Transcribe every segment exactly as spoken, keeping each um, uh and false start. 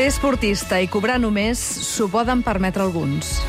Ser esportista i cobrar només s'ho poden permetre alguns.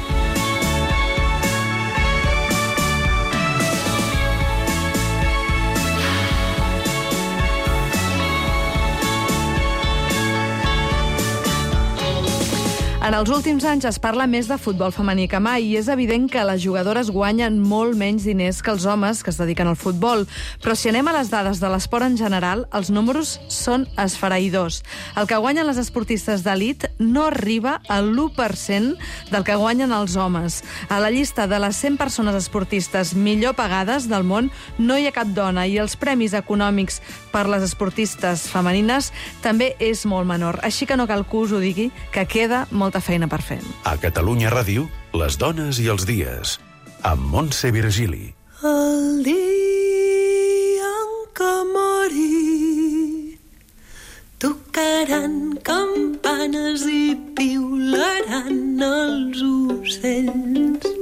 En els últims anys es parla més de futbol femení que mai i és evident que les jugadores guanyen molt menys diners que els homes que es dediquen al futbol. Però si anem a les dades de l'esport en general, els números són esfereïdors. El que guanyen les esportistes d'elit no arriba al l'u per cent del que guanyen els homes. A la llista de les cent persones esportistes millor pagades del món no hi ha cap dona i els premis econòmics per les esportistes femenines també és molt menor. Així que no cal que us ho digui, que queda molta feina per fer. A Catalunya Ràdio, les dones i els dies, amb Montse Virgili. El dia en què mori tocaran campanes i piularan els ocells.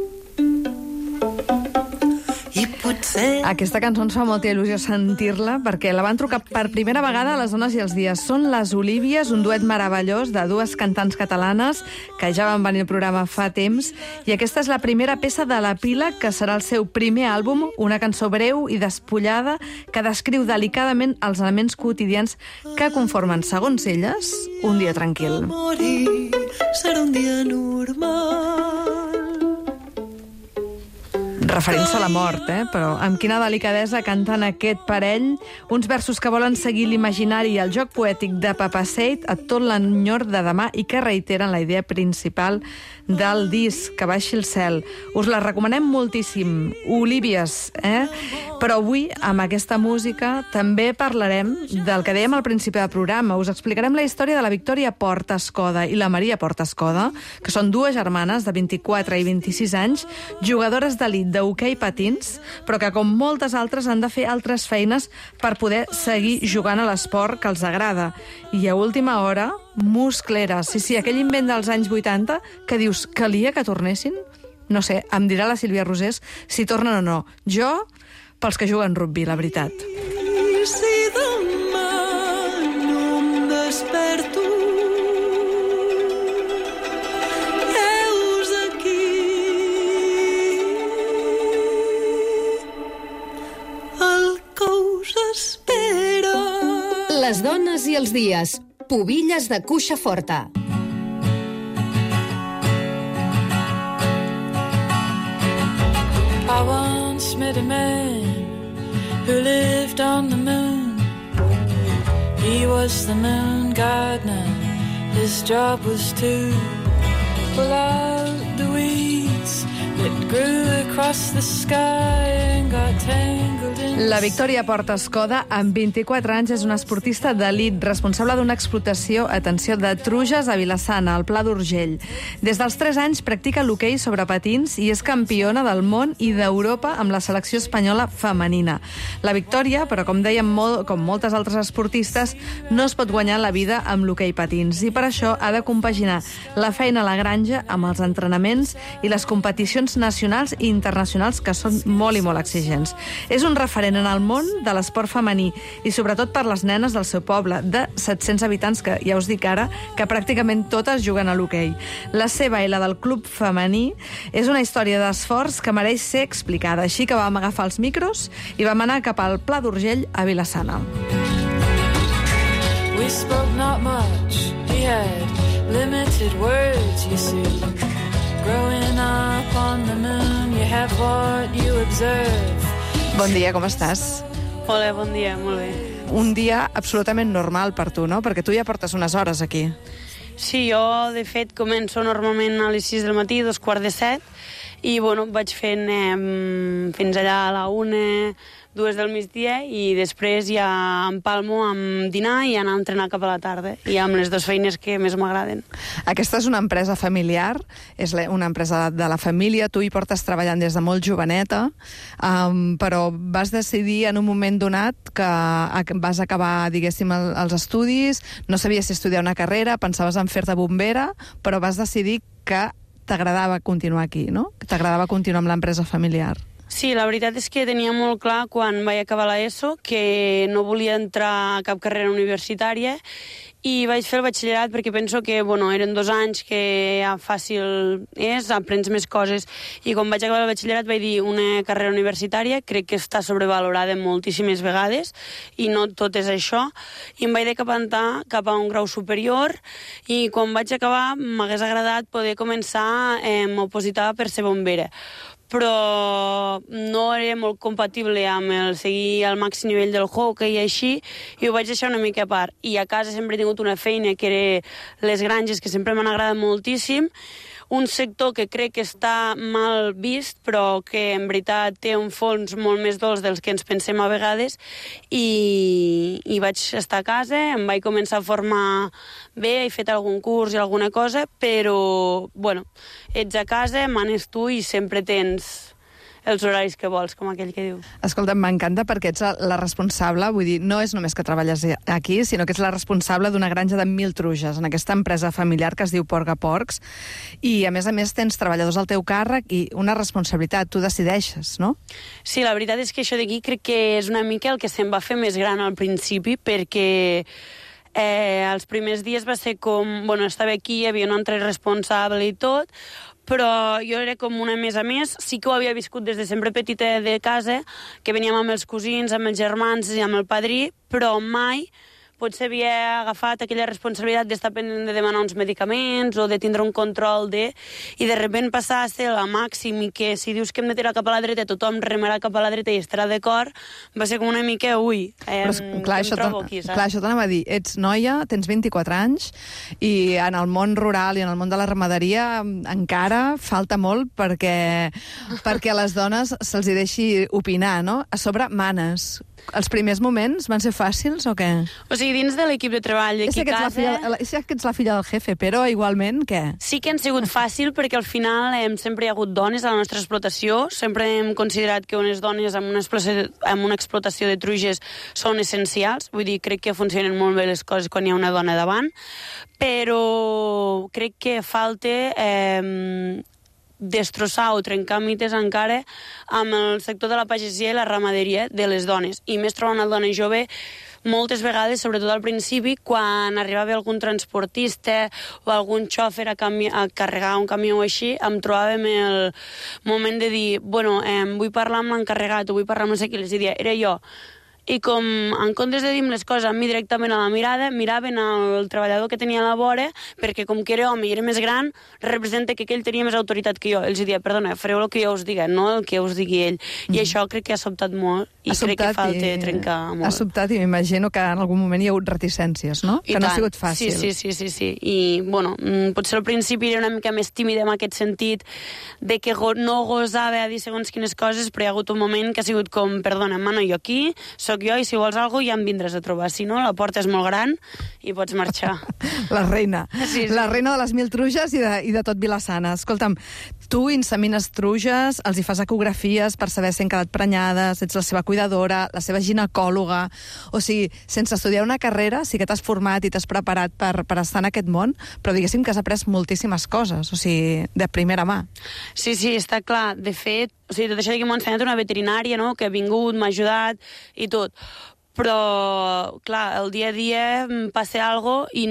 I potser... Aquesta cançó ens fa molta il·lusió sentir-la perquè la van trucar per primera vegada a les dones i els dies. Són les Olívies, un duet meravellós de dues cantants catalanes que ja van venir al programa fa temps i aquesta és la primera peça de la pila que serà el seu primer àlbum, una cançó breu i despullada que descriu delicadament els elements quotidians que conformen, segons elles, un dia tranquil. Morir serà un dia normal. Referint-se a la mort, eh? Però amb quina delicadesa canten aquest parell, uns versos que volen seguir l'imaginari i el joc poètic de Papaseit a tot l'enyor de demà i que reiteren la idea principal del disc, que baixi el cel. Us la recomanem moltíssim, Olívies, eh? Però avui, amb aquesta música, també parlarem del que dèiem al principi del programa. Us explicarem la història de la Victòria Porta Escoda i la Maria Porta Escoda, que són dues germanes de vint-i-quatre i vint-i-sis anys, jugadores d'elit de hoquei patins, però que, com moltes altres, han de fer altres feines per poder seguir jugant a l'esport que els agrada. I a última hora, muscleres. Sí, sí, aquell invent dels anys vuitanta que dius, calia que tornessin? No sé, em dirà la Sílvia Rosés si tornen o no. Jo, pels que juguen rugby, la veritat. Si demà no em desperto, heus aquí el que us espera. Les dones i els dies. Pubilles de cuixa forta. I once met a man who lived on the moon. He was the moon gardener. His job was to pull out the weeds that grew across the sky and got tangled in... La Victòria Porta Escoda, amb vint-i-quatre anys, és una esportista d'elit, responsable d'una explotació, atenció, de truges a Vila-sana, al Pla d'Urgell. Des dels tres anys practica l'hoquei sobre patins i és campiona del món i d'Europa amb la selecció espanyola femenina. La Victòria, però com dèiem, molt, com moltes altres esportistes, no es pot guanyar la vida amb l'hoquei patins i per això ha de compaginar la feina a la granja amb els entrenaments i les competicions nacionals i internacionals que són molt i molt exigents. És un referent en el món de l'esport femení i sobretot per les nenes del seu poble, de set-cents habitants, que ja us dic ara que pràcticament totes juguen a l'hoquei. La seva i la del club femení és una història d'esforç que mereix ser explicada, així que vam agafar els micros i vam anar cap al Pla d'Urgell a Vila-sana. We spoke not much. We had limited words, you see. Growing up on the moon, you have what you observe. Bon dia, com estàs? Hola, bon dia, molt bé. Un dia absolutament normal per tu, no? Perquè tu ja portes unes hores aquí. Sí, jo, de fet, començo normalment a les sis del matí, dos quarts de set, i, bueno, vaig fent eh, fins allà a la una, dues del migdia, i després ja empalmo amb dinar i anar a entrenar cap a la tarda, i amb les dues feines que més m'agraden. Aquesta és una empresa familiar, és una empresa de la família, tu hi portes treballant des de molt joveneta, um, però vas decidir en un moment donat que vas acabar, diguéssim, els estudis, no sabies si estudiar una carrera, pensaves en fer-te bombera, però vas decidir que t'agradava continuar aquí, no? Que t'agradava continuar amb l'empresa familiar. Sí, la veritat és que tenia molt clar quan vaig acabar l'ESO que no volia entrar a cap carrera universitària i vaig fer el batxillerat perquè penso que, bueno, eren dos anys que ja fàcil és, aprens més coses, i quan vaig acabar el batxillerat vaig dir una carrera universitària, crec que està sobrevalorada moltíssimes vegades, i no tot és això, i em vaig decantar cap a un grau superior, i quan vaig acabar m'hagués agradat poder començar eh, a opositar per ser bombera, però no era molt compatible amb el seguir al màxim nivell del hockey i així, i ho vaig deixar una mica a part. I a casa sempre he tingut una feina que era les granges, que sempre m'han agradat moltíssim, un sector que crec que està mal vist, però que en veritat té un fons molt més dolç dels que ens pensem a vegades, i, i vaig estar a casa, em vaig començar a formar bé, he fet algun curs i alguna cosa, però, bueno, ets a casa, manes tu i sempre tens els horaris que vols, com aquell que diu. Escolta, m'encanta perquè ets la responsable, vull dir, no és només que treballes aquí, sinó que ets la responsable d'una granja de mil truges, en aquesta empresa familiar que es diu Porc a Porcs, i a més a més tens treballadors al teu càrrec i una responsabilitat, tu decideixes, no? Sí, la veritat és que això d'aquí crec que és una mica el que se'm va fer més gran al principi, perquè eh, els primers dies va ser com, bueno, estava aquí, hi havia un altre responsable i tot, però jo era com una més a més, sí que ho havia viscut des de sempre petita de casa, que veníem amb els cosins, amb els germans i amb el padrí, però mai potser havia agafat aquella responsabilitat d'estar pendent de demanar uns medicaments o de tindre un control de... I de sobte passar a ser la màxim i que si dius que hem de tirar cap a la dreta tothom remarà cap a la dreta i estarà d'acord, va ser com una mica, ui, eh, Però, clar, em això trobo aquí, saps? Clar, això t'anava a dir, ets noia, tens vint-i-quatre anys, i en el món rural i en el món de la ramaderia encara falta molt perquè, perquè a les dones se'ls hi deixi opinar, no? A sobre, manes. Els primers moments van ser fàcils o què? O sigui, dins de l'equip de treball d'aquí a casa... Filla, sé que ets la filla del jefe, però igualment, què? Sí que han sigut fàcil perquè al final hem, sempre hi ha hagut dones a la nostra explotació, sempre hem considerat que unes dones amb una explotació, amb una explotació de truges són essencials, vull dir, crec que funcionen molt bé les coses quan hi ha una dona davant, però crec que falta... Eh, destrossar o trencar mites encara amb el sector de la pagesia i la ramaderia de les dones. I més trobar una dona jove moltes vegades, sobretot al principi, quan arribava algun transportista o algun xòfer a, cami a carregar un camió o així, em trobàvem el moment de dir, bueno, eh, vull parlar amb l'encarregat o vull parlar amb no sé qui, les diria, era jo. I com, en comptes de dir-me les coses a mi directament a la mirada, miraven el treballador que tenia a la vora, perquè com que era home i era més gran, representa que aquell tenia més autoritat que jo. Ells diria, perdona, fareu el que jo us diga, no el que us digui ell. Mm. I això crec que ha sobtat molt, i crec que falta i... trencar molt. Ha sobtat, i m'imagino que en algun moment hi ha hagut reticències, no? I que tant. No ha sigut fàcil. Sí, sí, sí, sí, sí. I, bueno, potser al principi era una mica més tímida en aquest sentit, de que no gosava a dir segons quines coses, però hi ha hagut un moment que ha sigut com, perdona, mano, jo aquí, soc jo, i si vols alguna cosa ja em vindràs a trobar. Si no, la porta és molt gran i pots marxar. La reina. Sí, sí. La reina de les mil truges i de, i de tot Vila-sana. Escolta'm, tu insemines truges, els hi fas ecografies per saber si han quedat prenyades, ets la seva cuidadora, la seva ginecòloga... O sigui, sense estudiar una carrera, sí que t'has format i t'has preparat per, per estar en aquest món, però diguéssim que has après moltíssimes coses, o sigui, de primera mà. Sí, sí, està clar. De fet, o sigui, tot això que m'ha ensenyat una veterinària, no?, que ha vingut, m'ha ajudat i tot. Però, clar, el dia a dia passa alguna cosa i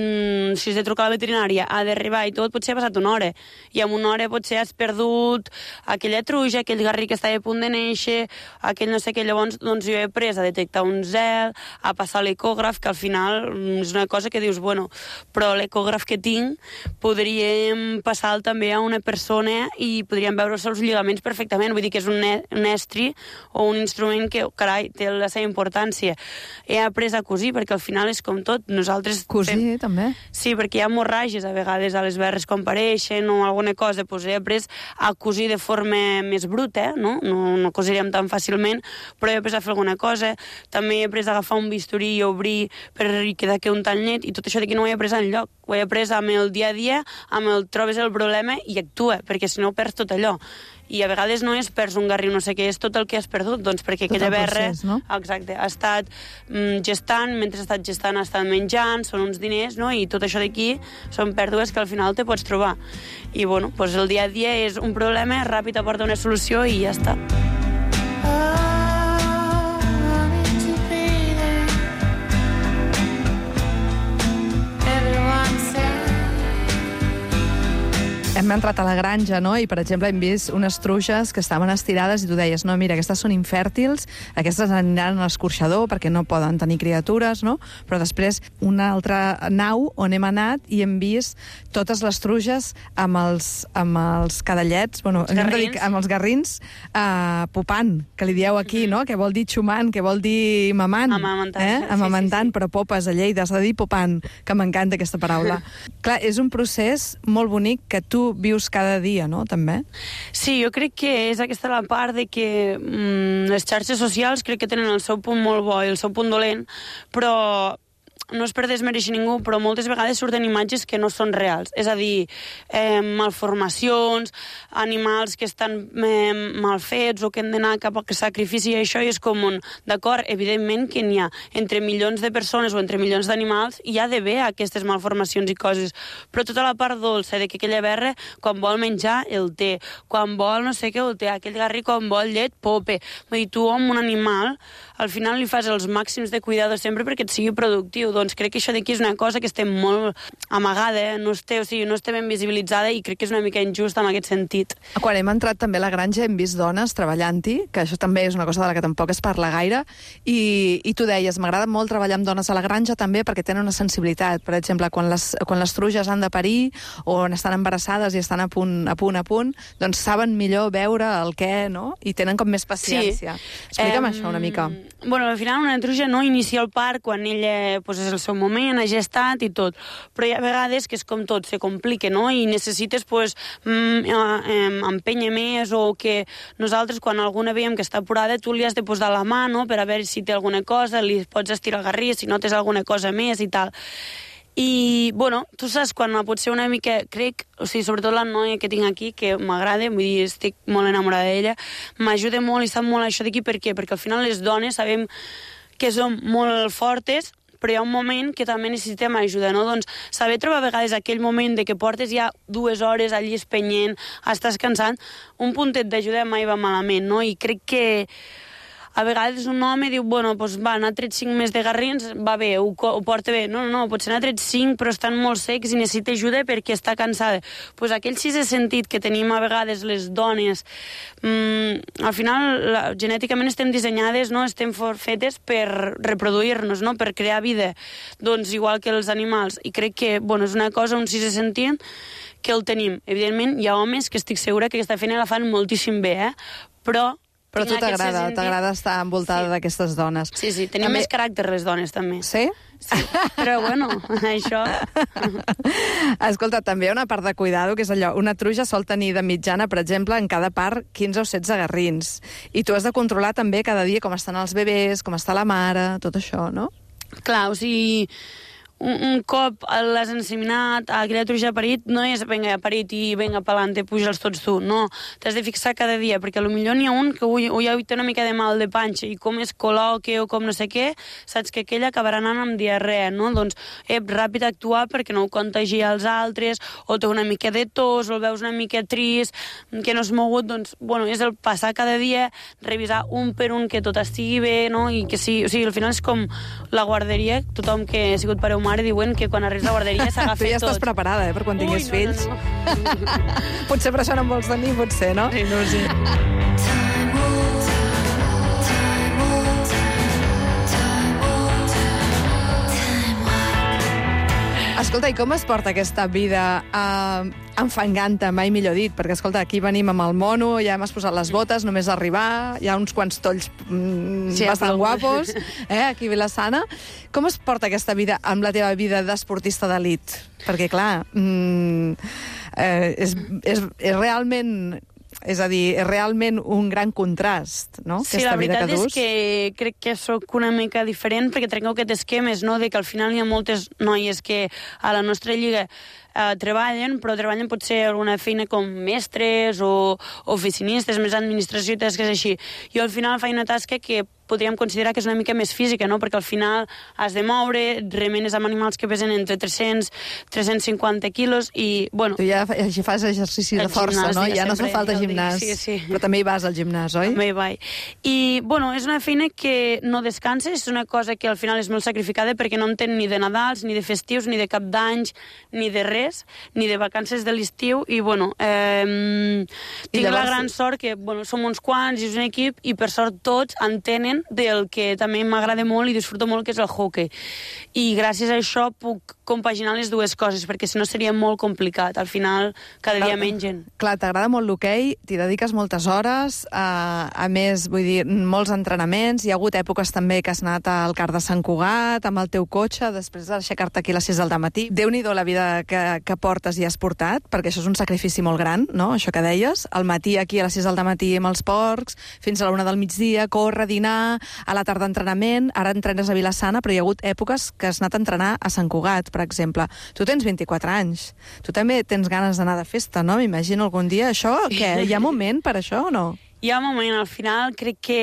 si has de trucar a la veterinària, ha d'arribar i tot, potser ha passat una hora. I en una hora potser has perdut aquella truja, aquell garrí que estava a punt de néixer, aquell no sé què. Llavors, doncs jo he après a detectar un zel, a passar l'ecògraf, que al final és una cosa que dius, bueno, però l'ecògraf que tinc podríem passar-lo també a una persona i podríem veure els seus lligaments perfectament. Vull dir que és un, un estri o un instrument que, carai, té la seva importància. He après a cosir, perquè al final és com tot. Nosaltres cosir, fem... també? Sí, perquè hi ha hemorràgies a vegades a les berres quan pareixen o alguna cosa. Pues he après a cosir de forma més bruta, eh? no? No, no cosiríem tan fàcilment, però he après a fer alguna cosa. També he après a agafar un bisturí i obrir per quedar que un tall net, i tot això d'aquí no ho he après enlloc. Ho he après amb el dia a dia, amb el trobes el problema i actua, perquè si no perds tot allò. I a vegades no és perds un garrí, no sé què, és tot el que has perdut, doncs perquè tot aquella berra no? exacte, ha estat mm, gestant, mentre ha estat gestant ha estat menjant, són uns diners, no? I tot això d'aquí són pèrdues que al final te pots trobar. I bueno, doncs el dia a dia és un problema, ràpid aporta una solució i ja està. hem entrat a la granja, no? I, per exemple, hem vist unes truges que estaven estirades i tu deies, no, mira, aquestes són infèrtils, aquestes aniran a l'escorxador perquè no poden tenir criatures, no? Però després una altra nau on hem anat i hem vist totes les truges amb els, amb els cadallets, bueno, hem de dir, amb els garrins, uh, popant, que li dieu aquí, no? Que vol dir xumant, que vol dir mamant. Amamentant. Eh? Sí, Amamentant, sí, sí. però popes a Lleida, s'ha de dir popant, que m'encanta aquesta paraula. Clar, és un procés molt bonic que tu vius cada dia, no?, també? Sí, jo crec que és aquesta la part de que mm, les xarxes socials crec que tenen el seu punt molt bo i el seu punt dolent, però no és per desmereixer ningú, però moltes vegades surten imatges que no són reals. És a dir, eh, malformacions, animals que estan eh, mal fets o que han d'anar cap a sacrifici, i això és com un... D'acord, evidentment que n'hi ha entre milions de persones o entre milions d'animals, hi ha d'haver aquestes malformacions i coses, però tota la part dolça de que aquella berra, quan vol menjar, el té. Quan vol no sé què, el té. Aquell garrí, quan vol llet, pope. Vull dir, tu amb un animal, al final li fas els màxims de cuidado sempre perquè et sigui productiu. Doncs crec que això d'aquí és una cosa que estem molt amagada, no està, o sigui, no està ben visibilitzada i crec que és una mica injust en aquest sentit. Quan hem entrat també a la granja hem vist dones treballant-hi, que això també és una cosa de la que tampoc es parla gaire, i, i tu deies, m'agrada molt treballar amb dones a la granja també perquè tenen una sensibilitat. Per exemple, quan les, quan les truges han de parir o estan embarassades i estan a punt, a punt, a punt, doncs saben millor veure el què, no? I tenen com més paciència. Sí. Explica'm um, això una mica. Bueno, al final una truja no inicia el part quan ella pues, és el seu moment, ha gestat i tot, però hi ha vegades que és com tot, se complica, no? I necessites pues, mm, eh, empènyer més, o que nosaltres quan alguna veiem que està apurada tu li has de posar la mà, no?, per a veure si té alguna cosa, li pots estirar el garrí si notes alguna cosa més i tal. I, bueno, tu saps quan pot ser una mica, crec, o sigui, sobretot la noia que tinc aquí, que m'agrada, vull dir, estic molt enamorada d'ella, m'ajuda molt i sap molt això d'aquí, per què? Perquè al final les dones sabem que som molt fortes, però hi ha un moment que també necessitem ajuda, no? Doncs saber trobar a vegades aquell moment de que portes ja dues hores allí espenyent, estàs cansant, un puntet d'ajuda mai va malament, no? I crec que a vegades un home diu, bueno, doncs va, n'ha tret cinc més de garrins, va bé, ho, ho porta bé. No, no, no, potser n'ha tret cinc, però estan molt secs i necessita ajuda perquè està cansada. Doncs pues aquell sisè sentit que tenim a vegades les dones, mmm, al final, la, genèticament estem dissenyades, no?, estem fetes per reproduir-nos, no?, per crear vida. Doncs igual que els animals. I crec que, bueno, és una cosa, un sisè sentit, que el tenim. Evidentment, hi ha homes que estic segura que aquesta feina la fan moltíssim bé, eh? Però Però a tu t'agrada, t'agrada estar envoltada sí. d'aquestes dones. Sí, sí, tenim també... més caràcter les dones, també. Sí? Sí, però bueno, això... Escolta, també hi ha una part de cuidado, que és allò, una truja sol tenir de mitjana, per exemple, en cada part quinze o setze garrins. I tu has de controlar també cada dia com estan els bebès, com està la mare, tot això, no? Clar, o sigui... Un, un cop l'has enseminat, aquella truja ha parit, no és venga, ha parit i venga pa'lante, puja'ls tots tu, no. T'has de fixar cada dia, perquè potser n'hi ha un que ui, ui, ui, té una mica de mal de panxa i com es col·loque o com no sé què, saps que aquella acabarà anant amb diarrea, no? Doncs, ep, ràpid actuar perquè no ho contagia als altres, o té una mica de tos, o el veus una mica trist, que no has mogut, doncs, bueno, és el passar cada dia, revisar un per un que tot estigui bé, no? I que sí, o sigui, al final és com la guarderia, tothom que ha sigut pare o mare diuen que quan arribes a la guarderia s'ha agafat tot. Tu ja estàs preparada, eh, per quan tinguis Ui, no, fills. No, no. Potser per això no en vols tenir, potser, no? Sí, no ho sé. Escolta, i com es porta aquesta vida eh, enfangant-te, mai millor dit? Perquè, escolta, aquí venim amb el mono, ja hem posat les botes, només arribar, hi ha uns quants tolls mm, sí, bastant guapos, eh, aquí a Vilassana. Com es porta aquesta vida amb la teva vida d'esportista d'elit? Perquè, clar, mm, eh, és, és, és realment... És a dir, és realment un gran contrast, no? Sí, aquesta la veritat vida que dus. és que crec que sóc una mica diferent perquè trenco aquests esquemes, no?, de que al final hi ha moltes noies que a la nostra lliga eh, treballen, però treballen potser alguna feina com mestres o oficinistes, més administració i tasques així. Jo al final faig una tasca que podríem considerar que és una mica més física, no?, perquè al final has de moure, remenes amb animals que pesen entre tres-cents a tres-cents cinquanta quilos i, bueno... Tu ja fas exercici de força, no? Ja no fa falta gimnàs. Sí, sí. Però també hi vas al gimnàs, oi? També hi vaig. I, bueno, és una feina que no descanses, és una cosa que al final és molt sacrificada perquè no en tenen ni de Nadals, ni de festius, ni de cap d'anys, ni de res. res, ni de vacances de l'estiu, i bueno, eh, tinc llavors... la gran sort que bueno, som uns quants i és un equip, i per sort tots entenen del que també m'agrada molt i disfruto molt, que és el hockey. I gràcies a això puc compaginar les dues coses, perquè si no seria molt complicat. Al final, cada dia mengen. Clar, t'agrada molt l'hoquei, t'hi dediques moltes hores, a, a més, vull dir, molts entrenaments, hi ha hagut èpoques també que has anat al Car de Sant Cugat, amb el teu cotxe, després d'aixecar-te aquí a les sis del matí. Déu-n'hi-do la vida que, que portes i has portat, perquè això és un sacrifici molt gran, no?, això que deies. Al matí aquí a les sis del matí amb els porcs, fins a la una del migdia, córrer, dinar, a la tarda entrenament, ara entrenes a Vilassana, però hi ha hagut èpoques que has anat a entrenar a Sant Cugat, per exemple. Tu tens vint-i-quatre anys. Tu també tens ganes d'anar de festa, no? M'imagino algun dia això. Què? Hi ha moment per això o no? Hi ha un moment, al final crec que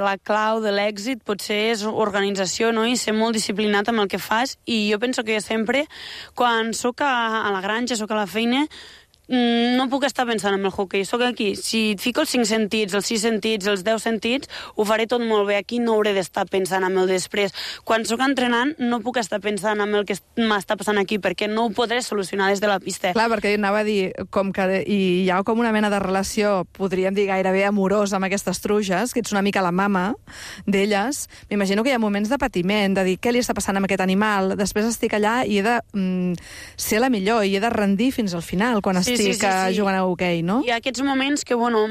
la clau de l'èxit potser és organització, no?, i ser molt disciplinat amb el que fas, i jo penso que sempre, quan sóc a, a la granja, sóc a la feina, no puc estar pensant en el hoquei, sóc aquí. Si et fico els cinc sentits, els sis sentits, els deu sentits, ho faré tot molt bé. Aquí no hauré d'estar pensant en el després. Quan sóc entrenant no puc estar pensant en el que m'està passant aquí, perquè no ho podré solucionar des de la pista. Clar, perquè anava a dir, com que hi ha com una mena de relació, podríem dir gairebé amorosa amb aquestes truges, que ets una mica la mama d'elles, m'imagino que hi ha moments de patiment, de dir què li està passant amb aquest animal, després estic allà i he de mm, ser la millor, i he de rendir fins al final, quan estic sí, sí, sí, sí. jugant a hoquei, no? Hi ha aquests moments que, bueno,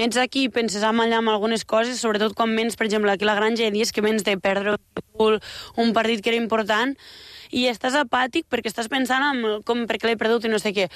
ets aquí i penses amb allà amb algunes coses, sobretot quan vens, per exemple, aquí a la granja, hi ha dies que vens de perdre un partit que era important, i estàs apàtic perquè estàs pensant en com perquè l'he perdut i no sé què.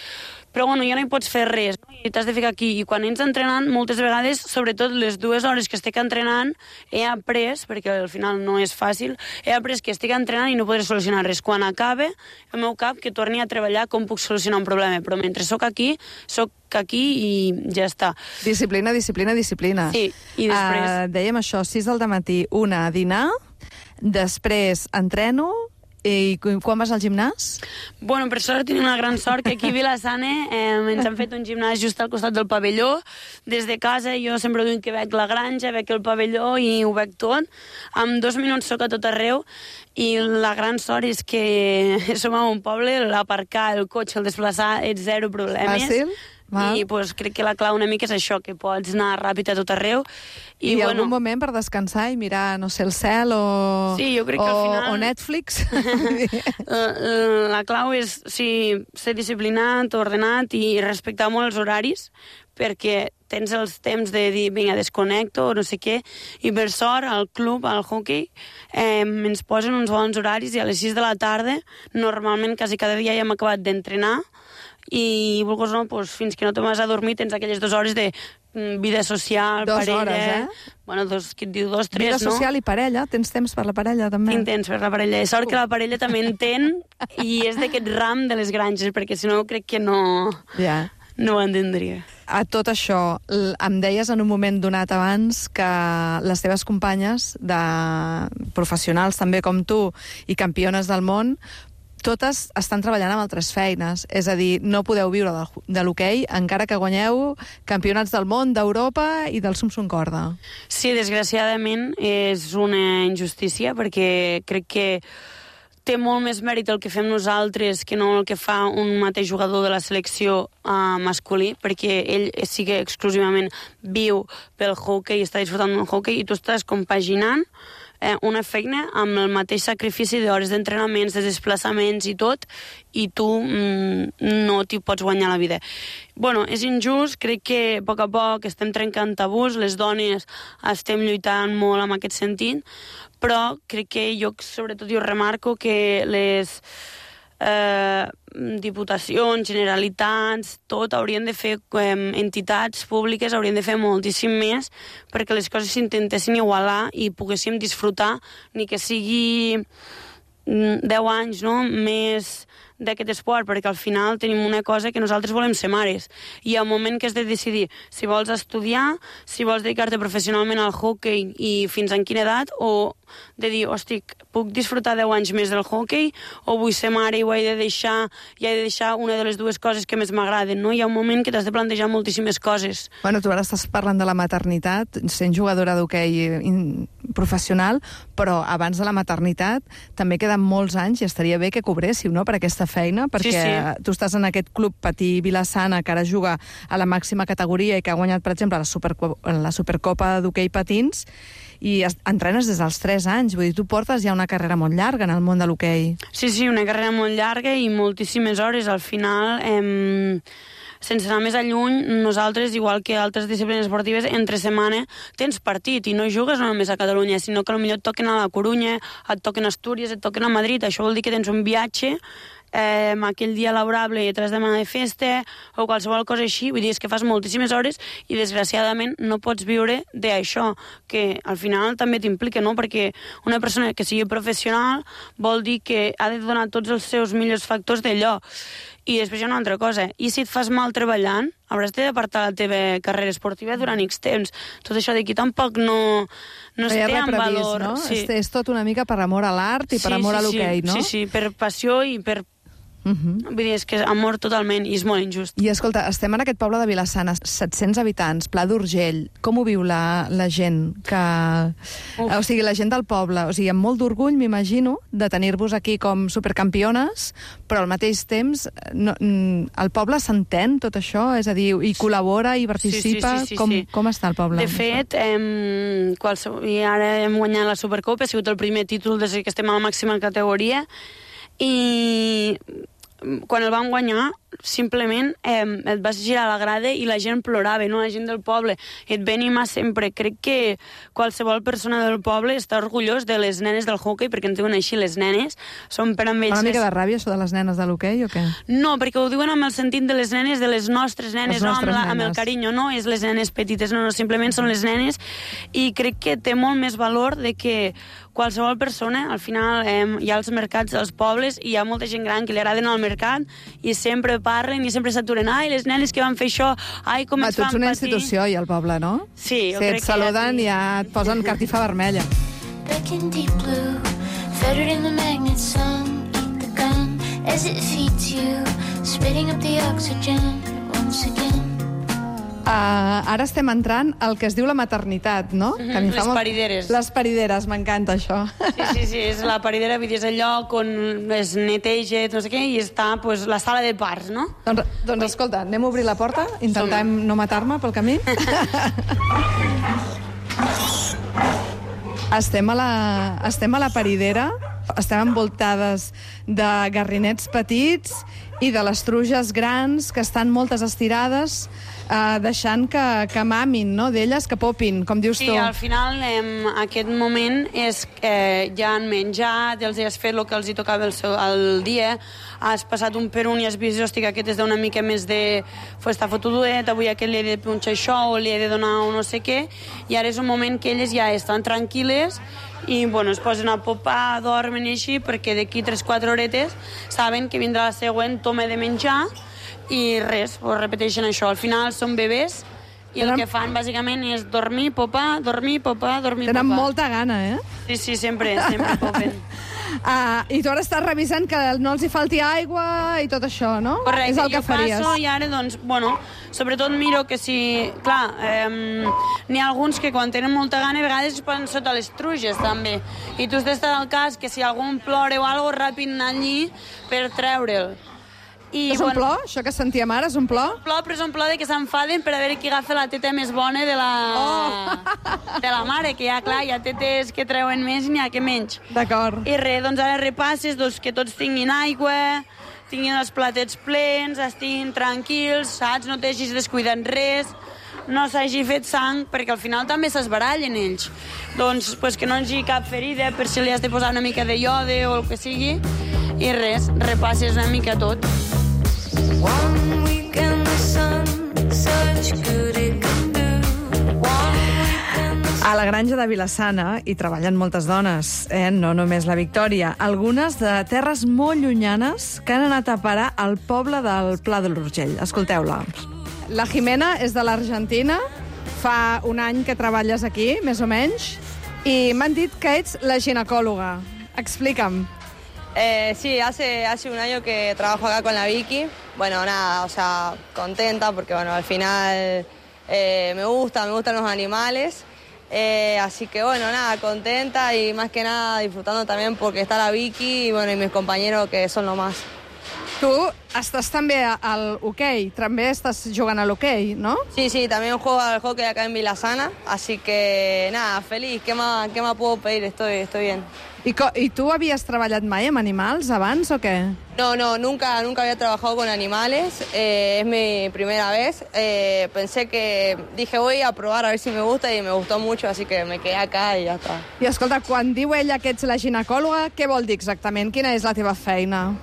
Però bueno, ja no hi pots fer res, no? I t'has de ficar aquí. I quan ets entrenant, moltes vegades, sobretot les dues hores que estic entrenant, he après, perquè al final no és fàcil, he après que estic entrenant i no podré solucionar res. Quan acabe, el meu cap que torni a treballar com puc solucionar un problema. Però mentre sóc aquí, sóc aquí i ja està. Disciplina, disciplina, disciplina. Sí, i després... Uh, dèiem això, sis del matí, una a dinar, després entreno. I quan vas al gimnàs? Bueno, per sort tenim una gran sort que aquí a Vilassana eh, ens han fet un gimnàs just al costat del pavelló. Des de casa jo sempre dic que veig la granja, veig el pavelló i ho veig tot. En dos minuts soc a tot arreu i la gran sort és que som a un poble, l'aparcar el cotxe, el desplaçar, és zero problemes. Fàcil? Val. I pues, crec que la clau una mica és això, que pots anar ràpid a tot arreu. I, I bueno, algun moment per descansar i mirar, no sé, el cel o, sí, jo crec que o, al final... o Netflix? la, la clau és sí, ser disciplinat, ordenat i respectar molt els horaris, perquè tens els temps de dir, vinga, desconnecto, o no sé què, i per sort, al club, al hockey, eh, ens posen uns bons horaris i a les sis de la tarda, normalment quasi cada dia ja hem acabat d'entrenar, i vulguis no, doncs, fins que no te vas a dormir tens aquelles dues hores de mm, vida social, dos parella... hores, eh? Bueno, dos, qui et diu dos, tres, vida no? Vida social i parella, tens temps per la parella, també? Tinc temps per la parella. És sort que la parella també entén i és d'aquest ram de les granges, perquè si no crec que no... Ja. No ho entendria. A tot això, em deies en un moment donat abans que les teves companyes, de professionals també com tu, i campiones del món, totes estan treballant amb altres feines. És a dir, no podeu viure de, de l'hoquei encara que guanyeu campionats del món, d'Europa i del Sumsum Corda. Sí, desgraciadament és una injustícia, perquè crec que té molt més mèrit el que fem nosaltres que no el que fa un mateix jugador de la selecció uh, masculí, perquè ell sí que exclusivament viu pel hoquei, està disfrutant del hoquei, i tu estàs compaginant eh, una feina amb el mateix sacrifici d'hores d'entrenaments, de desplaçaments i tot, i tu mm, no t'hi pots guanyar la vida. Bueno, és injust, crec que a poc a poc estem trencant tabús, les dones estem lluitant molt en aquest sentit, però crec que jo, sobretot, jo remarco que les eh, diputacions, generalitats, tot haurien de fer, eh, entitats públiques haurien de fer moltíssim més perquè les coses s'intentessin igualar i poguéssim disfrutar, ni que sigui deu anys, no?, més d'aquest esport, perquè al final tenim una cosa que nosaltres volem ser mares, i al moment que has de decidir si vols estudiar, si vols dedicar-te professionalment al hoquei i fins en quina edat, o de dir, hosti, puc disfrutar deu anys més del hoquei o vull ser mare i ho he de deixar, i he de deixar una de les dues coses que més m'agraden, no? Hi ha un moment que t'has de plantejar moltíssimes coses. Bueno, tu ara estàs parlant de la maternitat, sent jugadora d'hoquei professional, però abans de la maternitat també queden molts anys i estaria bé que cobréssiu, no?, per aquesta feina, perquè sí, sí. tu estàs en aquest club Patí Vilassana, que ara juga a la màxima categoria i que ha guanyat, per exemple, la, Superco la Supercopa d'hoquei patins, i entrenes des dels tres anys. Vull dir, tu portes ja una carrera molt llarga en el món de l'hoquei. Sí, sí, una carrera molt llarga i moltíssimes hores. Al final, eh, sense anar més a lluny, nosaltres, igual que altres disciplines esportives, entre setmana tens partit i no jugues no només a Catalunya, sinó que potser et toquen a la Corunya, et toquen a Astúries, et toquen a Madrid. Això vol dir que tens un viatge eh, aquell dia laborable i tres setmanes de festa o qualsevol cosa així. Vull dir, és que fas moltíssimes hores i desgraciadament no pots viure d'això, que al final també t'implica, no? Perquè una persona que sigui professional vol dir que ha de donar tots els seus millors factors d'allò. I després hi ha una altra cosa. I si et fas mal treballant, hauràs d'apartar la teva carrera esportiva durant X temps. Tot això d'aquí tampoc no, no es té en valor. No? Sí. És, és tot una mica per amor a l'art i sí, per amor sí, a l'hoquei, sí. no? Sí, sí, per passió i per... Uh-huh. Vull dir, és que és amor totalment i és molt injust. I escolta, estem en aquest poble de Vilassana, set-cents habitants, Pla d'Urgell. Com ho viu la, la gent? Que... O sigui, la gent del poble. O sigui, amb molt d'orgull, m'imagino, de tenir-vos aquí com supercampiones, però al mateix temps no, el poble s'entén tot això? És a dir, i col·labora i participa? Sí, sí, sí, sí, com, sí. com està el poble? De fet, hem, qualsevol, i ara hem guanyat la Supercopa, ha sigut el primer títol des que estem a la màxima categoria, i quan el vam guanyar, simplement eh, et vas girar a la grada i la gent plorava, no? La gent del poble. Et ve animar sempre. Crec que qualsevol persona del poble està orgullós de les nenes del hoquei, perquè en diuen així les nenes. Són per amb ells... Fa una mica de ràbia, això de les nenes de l'hoquei, o què? No, perquè ho diuen amb el sentit de les nenes, de les nostres nenes, les nostres no amb, la, nenes. amb el carinyo, no és les nenes petites, no, no, simplement són les nenes, i crec que té molt més valor de que qualsevol persona, al final eh, hi ha els mercats dels pobles i hi ha molta gent gran que li agrada anar al mercat i sempre parlen i sempre s'aturen. Ai, les nenes que van fer això, ai, com Va, ens van patir. Tu ets una institució, i al poble, no? Sí, jo si crec et saluden que ja, ja et posen cartifa vermella. Back in deep blue, fettered in the magnet sun, eat the gun as it feeds you, spitting up the oxygen once again. Uh, ara estem entrant al que es diu la maternitat, no? Mm-hmm, que a mi fa les molt... parideres. Les parideres, m'encanta això. Sí, sí, sí, és la paridera, vull dir, és el lloc on es neteja, no sé què, i està pues, la sala de parts, no? Doncs, doncs escolta, anem a obrir la porta, intentem no matar-me pel camí. Estem a la, estem a la paridera, estem envoltades de garrinets petits i de les truges grans, que estan moltes estirades, eh, deixant que, que mamin, no?, d'elles, que popin, com dius sí, tu. Sí, al final, eh, aquest moment és que eh, ja han menjat, els has fet el que els hi tocava el, seu, el dia, has passat un per un i has vist, hosti, que aquest és d'una mica més de... Pues, està fotudet, avui aquest li he de punxar això o li he de donar un no sé què, i ara és un moment que elles ja estan tranquil·les i bueno, es posen a popar, dormen i així, perquè d'aquí tres o quatre horetes saben que vindrà la següent toma de menjar i res, ho repeteixen això. Al final són bebès i el que fan bàsicament és dormir, popar, dormir, popar, dormir, popar. Tenen molta gana, eh? Sí, sí, sempre, sempre popen. Uh, I tu ara estàs revisant que no els hi falti aigua i tot això, no? Correcte, és el que jo faries. passo i ara, doncs, bueno, sobretot miro que si... Clar, eh, n'hi ha alguns que quan tenen molta gana a vegades es posen sota les truges, també. I tu has d'estar al cas que si algun plora o alguna cosa, ràpid anar allí per treure'l. I, és un bueno, plor? Això que sentíem ara és un plor? Un plor, però és un plor de que s'enfaden per a veure qui agafa la teta més bona de la, oh. de la mare, que ja, clar, hi ha tetes que treuen més i n'hi ha que menys. D'acord. I res, doncs ara repasses doncs, que tots tinguin aigua, tinguin els platets plens, estiguin tranquils, saps? No t'hagis descuidat res, no s'hagi fet sang, perquè al final també s'esbarallen ells. Doncs pues, que no hi hagi cap ferida, per si li has de posar una mica de iode o el que sigui, i res, repasses una mica tot. One week in the sun, such good it can do. One week in the sun. A la granja de Vilassana hi treballen moltes dones, eh? No només la Victòria. Algunes de terres molt llunyanes que han anat a parar al poble del Pla de l'Urgell. Escolteu-la. La Jimena és de l'Argentina. Fa un any que treballes aquí, més o menys, i m'han dit que ets la ginecòloga. Explica'm. Eh, sí, hace, hace un año que trabajo acá con la Vicky. Bueno, nada, o sea, contenta porque, bueno, al final eh, me gusta, me gustan los animales. Eh, así que bueno, nada, contenta y más que nada disfrutando también porque está la Vicky y bueno, y mis compañeros que son lo más. Tu estàs també al hoquei, també estàs jugant a l'hoquei, no? Sí, sí, también juego al hockey acá en Vilasana, así que nada, feliz, ¿qué más, qué más puedo pedir? Estoy, estoy bien. I, co I tu havies treballat mai amb animals abans o què? No, no, nunca, nunca había trabajado con animales, eh, es mi primera vez. Eh, pensé que, dije voy a probar a ver si me gusta y me gustó mucho, así que me quedé acá y ya está. I escolta, quan diu ella que ets la ginecòloga, què vol dir exactament? Quina és la teva feina?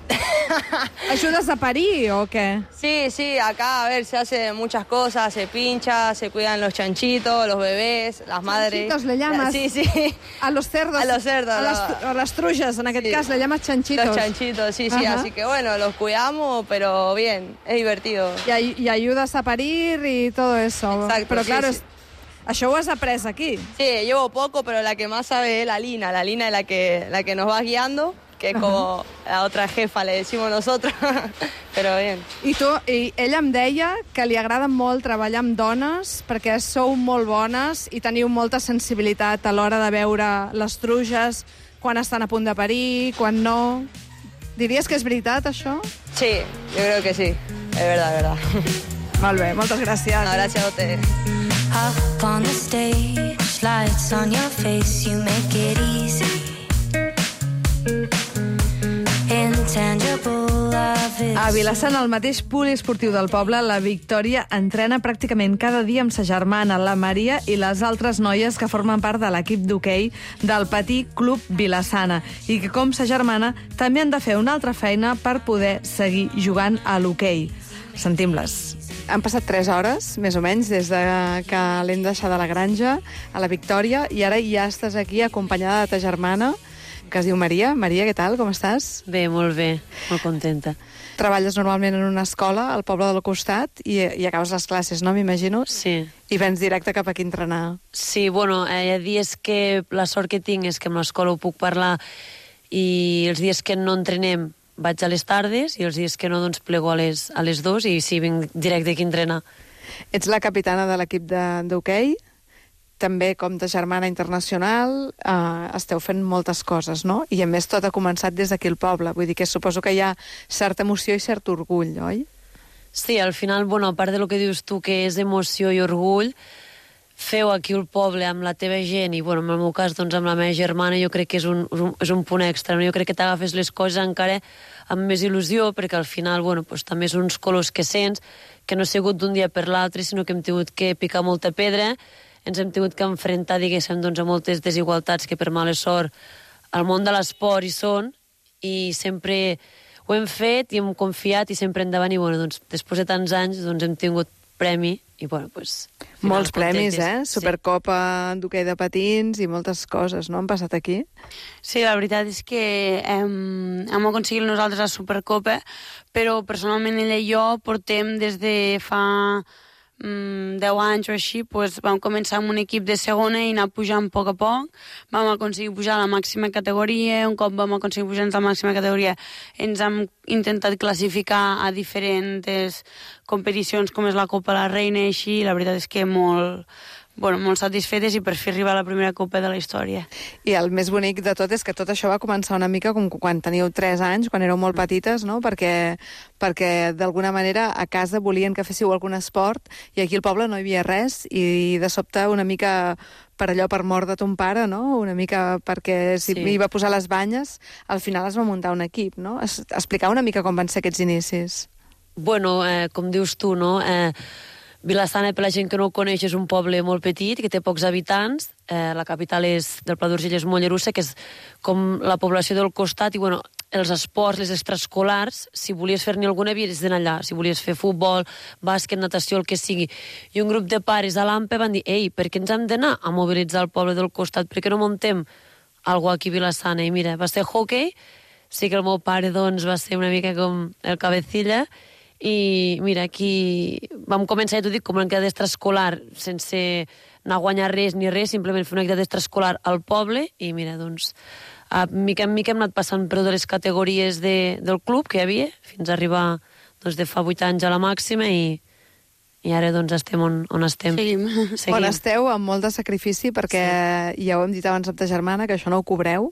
¿Ayudas a parir o qué? Sí, sí, acá a ver, se hace muchas cosas, se pincha, se cuidan los chanchitos, los bebés, las madres. ¿Chanchitos le llamas? Sí, sí. A los cerdos. A los cerdos. A, las, a las trujas, en aquest Sí. cas, le llamas chanchitos. Los chanchitos, sí, sí, Ajá. así que bueno, los cuidamos, pero bien, es divertido. Y, ay- y ayudas a parir y todo eso. Exacto, Pero sí, claro, sí. es- això ho has après aquí. Sí, llevo poco, pero la que más sabe es la Lina. La Lina es la que, la que nos va guiando, que es como la otra jefa, le decimos nosotros, pero bien. I, tu, I ella em deia que li agrada molt treballar amb dones perquè sou molt bones i teniu molta sensibilitat a l'hora de veure les truges, quan estan a punt de parir, quan no. Diries que és veritat, això? Sí, yo creo que sí, es verdad, es verdad. Molt bé, moltes gràcies. No, gracias a ustedes. Up on the stage, lights on your face, you make it easy. Intangible love is A Vilassana, al mateix poliesportiu del poble, la Victòria entrena pràcticament cada dia amb sa germana, la Maria, i les altres noies que formen part de l'equip d'hoquei del Petit Club Vilassana i que, com sa germana, també han de fer una altra feina per poder seguir jugant a l'hoquei. Sentim-les. Han passat tres hores, més o menys, des de que l'hem deixat a la granja, a la Victòria, i ara ja estàs aquí acompanyada de ta germana, que es diu Maria. Maria, què tal? Com estàs? Bé, molt bé, molt contenta. Treballes normalment en una escola al poble del costat i, i acabes les classes, no? M'imagino. Sí. I vens directe cap aquí a entrenar. Sí, bueno, eh, hi ha dies que la sort que tinc és que amb l'escola ho puc parlar i els dies que no entrenem vaig a les tardes i els dies que no, doncs plego a les, a les dos i sí, vinc directe aquí a entrenar. Ets la capitana de l'equip de- d'hoquei, també com de germana internacional, eh, esteu fent moltes coses, no? I a més tot ha començat des d'aquí al poble, vull dir que suposo que hi ha certa emoció i cert orgull, oi? Sí, al final, bueno, a part de lo que dius tu, que és emoció i orgull, feu aquí al poble amb la teva gent i, bueno, en el meu cas, doncs, amb la meva germana, jo crec que és un, és un, és un punt extra, no? Jo crec que t'agafes les coses encara amb més il·lusió, perquè al final, bueno, doncs, també són uns colors que sents, que no ha sigut d'un dia per l'altre, sinó que hem tingut que picar molta pedra, ens hem tingut que enfrontar, diguéssim, doncs, a moltes desigualtats que per mala sort al món de l'esport hi són, i sempre ho hem fet i hem confiat i sempre endavant, i bueno, doncs, després de tants anys doncs, hem tingut premi i bueno, doncs... Molts premis, contentes. eh? Supercopa d'hoquei de patins i moltes coses, no? Han passat aquí. Sí, la veritat és que hem, hem aconseguit nosaltres la Supercopa, però personalment ella i jo portem des de fa mm, deu anys o així, pues, vam començar amb un equip de segona i anar pujant a poc a poc. Vam aconseguir pujar a la màxima categoria, un cop vam aconseguir pujar a la màxima categoria ens hem intentat classificar a diferents competicions com és la Copa la Reina i així, i la veritat és que molt, bueno, molt satisfetes i per fi arribar a la primera Copa de la història. I el més bonic de tot és que tot això va començar una mica com quan teníeu tres anys, quan éreu molt petites, no? Perquè, perquè d'alguna manera a casa volien que féssiu algun esport i aquí al poble no hi havia res i de sobte una mica per allò, per mort de ton pare, no? Una mica perquè si Sí. hi va posar les banyes, al final es va muntar un equip, no? Es, explicar una mica com van ser aquests inicis. Bueno, eh, com dius tu, no? Eh, Vilassana, per la gent que no ho coneix, és un poble molt petit, que té pocs habitants. Eh, la capital és, del Pla d'Urgell és Mollerussa, que és com la població del costat, i bueno, els esports, les extraescolars, si volies fer-ne alguna, havies d'anar allà. Si volies fer futbol, bàsquet, natació, el que sigui. I un grup de pares a l'Ampe van dir, ei, per què ens hem d'anar a mobilitzar el poble del costat? Per què no muntem algo aquí a Vilassana? I mira, va ser hockey, sí que el meu pare, doncs, va ser una mica com el cabecilla, i mira, aquí vam començar, ja t'ho dic, com una activitat extraescolar, sense anar a guanyar res ni res, simplement fer una activitat extraescolar al poble, i mira, doncs, a mica en mica hem anat passant per totes les categories de, del club que hi havia, fins a arribar, doncs, de fa vuit anys a la màxima, i, i ara doncs estem on, on estem. Seguim. Seguim. On esteu amb molt de sacrifici, perquè sí. ja ho hem dit abans amb ta germana, que això no ho cobreu,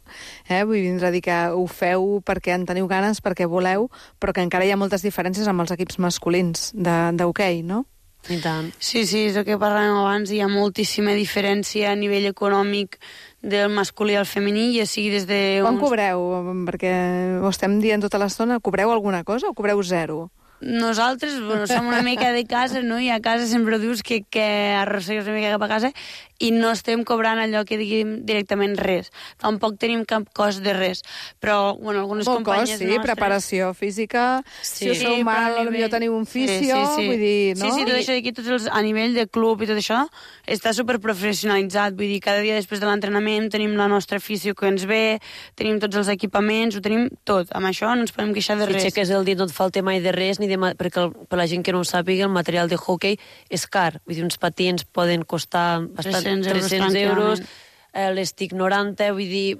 eh? Vull vindre a dir que ho feu perquè en teniu ganes, perquè voleu, però que encara hi ha moltes diferències amb els equips masculins d'hoquei, no? I tant. Sí, sí, és el que parlàvem abans, hi ha moltíssima diferència a nivell econòmic del masculí al femení, ja sigui des de... Quan uns... cobreu? Perquè ho estem dient tota l'estona, cobreu alguna cosa o cobreu zero? Nosaltres, bueno, som una mica de casa, no? I a casa sempre dius que, que arrossegues una mica cap a casa i no estem cobrant allò que diguem directament res. Tampoc tenim cap cost de res. Però, bueno, algunes Molt companyes cost, sí, nostres... preparació física, Sí, si us feu sí, mal, però a potser nivell- teniu un fisio, sí, sí, sí. vull dir, no? Sí, sí, tot això d'aquí, tots els, a nivell de club i tot això, està superprofessionalitzat. Vull dir, cada dia després de l'entrenament tenim la nostra fisio que ens ve, tenim tots els equipaments, ho tenim tot. Amb això no ens podem queixar de Si res. aixeques el dit no et falta mai de res, ni de ma... perquè el, per la gent que no ho sàpiga, el material de hockey és car. Vull dir, uns patins poden costar bastant tres-cents euros tres-cents euros, tranquil·lament. eh, l'estic noranta, vull dir,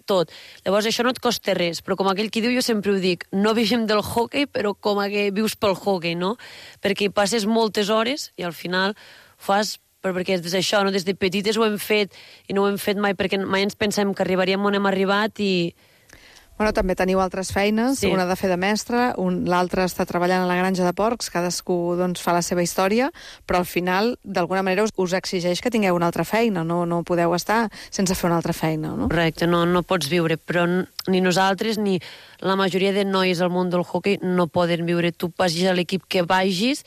tot. Llavors això no et costa res, però com aquell qui diu, jo sempre ho dic, no vivim del hockey, però com a que vius pel hockey, no? Perquè hi passes moltes hores i al final fas però perquè des d'això, no? Des de petites ho hem fet i no ho hem fet mai perquè mai ens pensem que arribaríem on hem arribat i... Bueno, també teniu altres feines, Sí. una de fer de mestre, un, l'altra està treballant a la granja de porcs, cadascú doncs, fa la seva història, però al final, d'alguna manera, us, us exigeix que tingueu una altra feina, no, no podeu estar sense fer una altra feina, no? Correcte, no, no pots viure, però n- ni nosaltres ni la majoria de noies al món del hoquei no poden viure. Tu vagis a l'equip que vagis,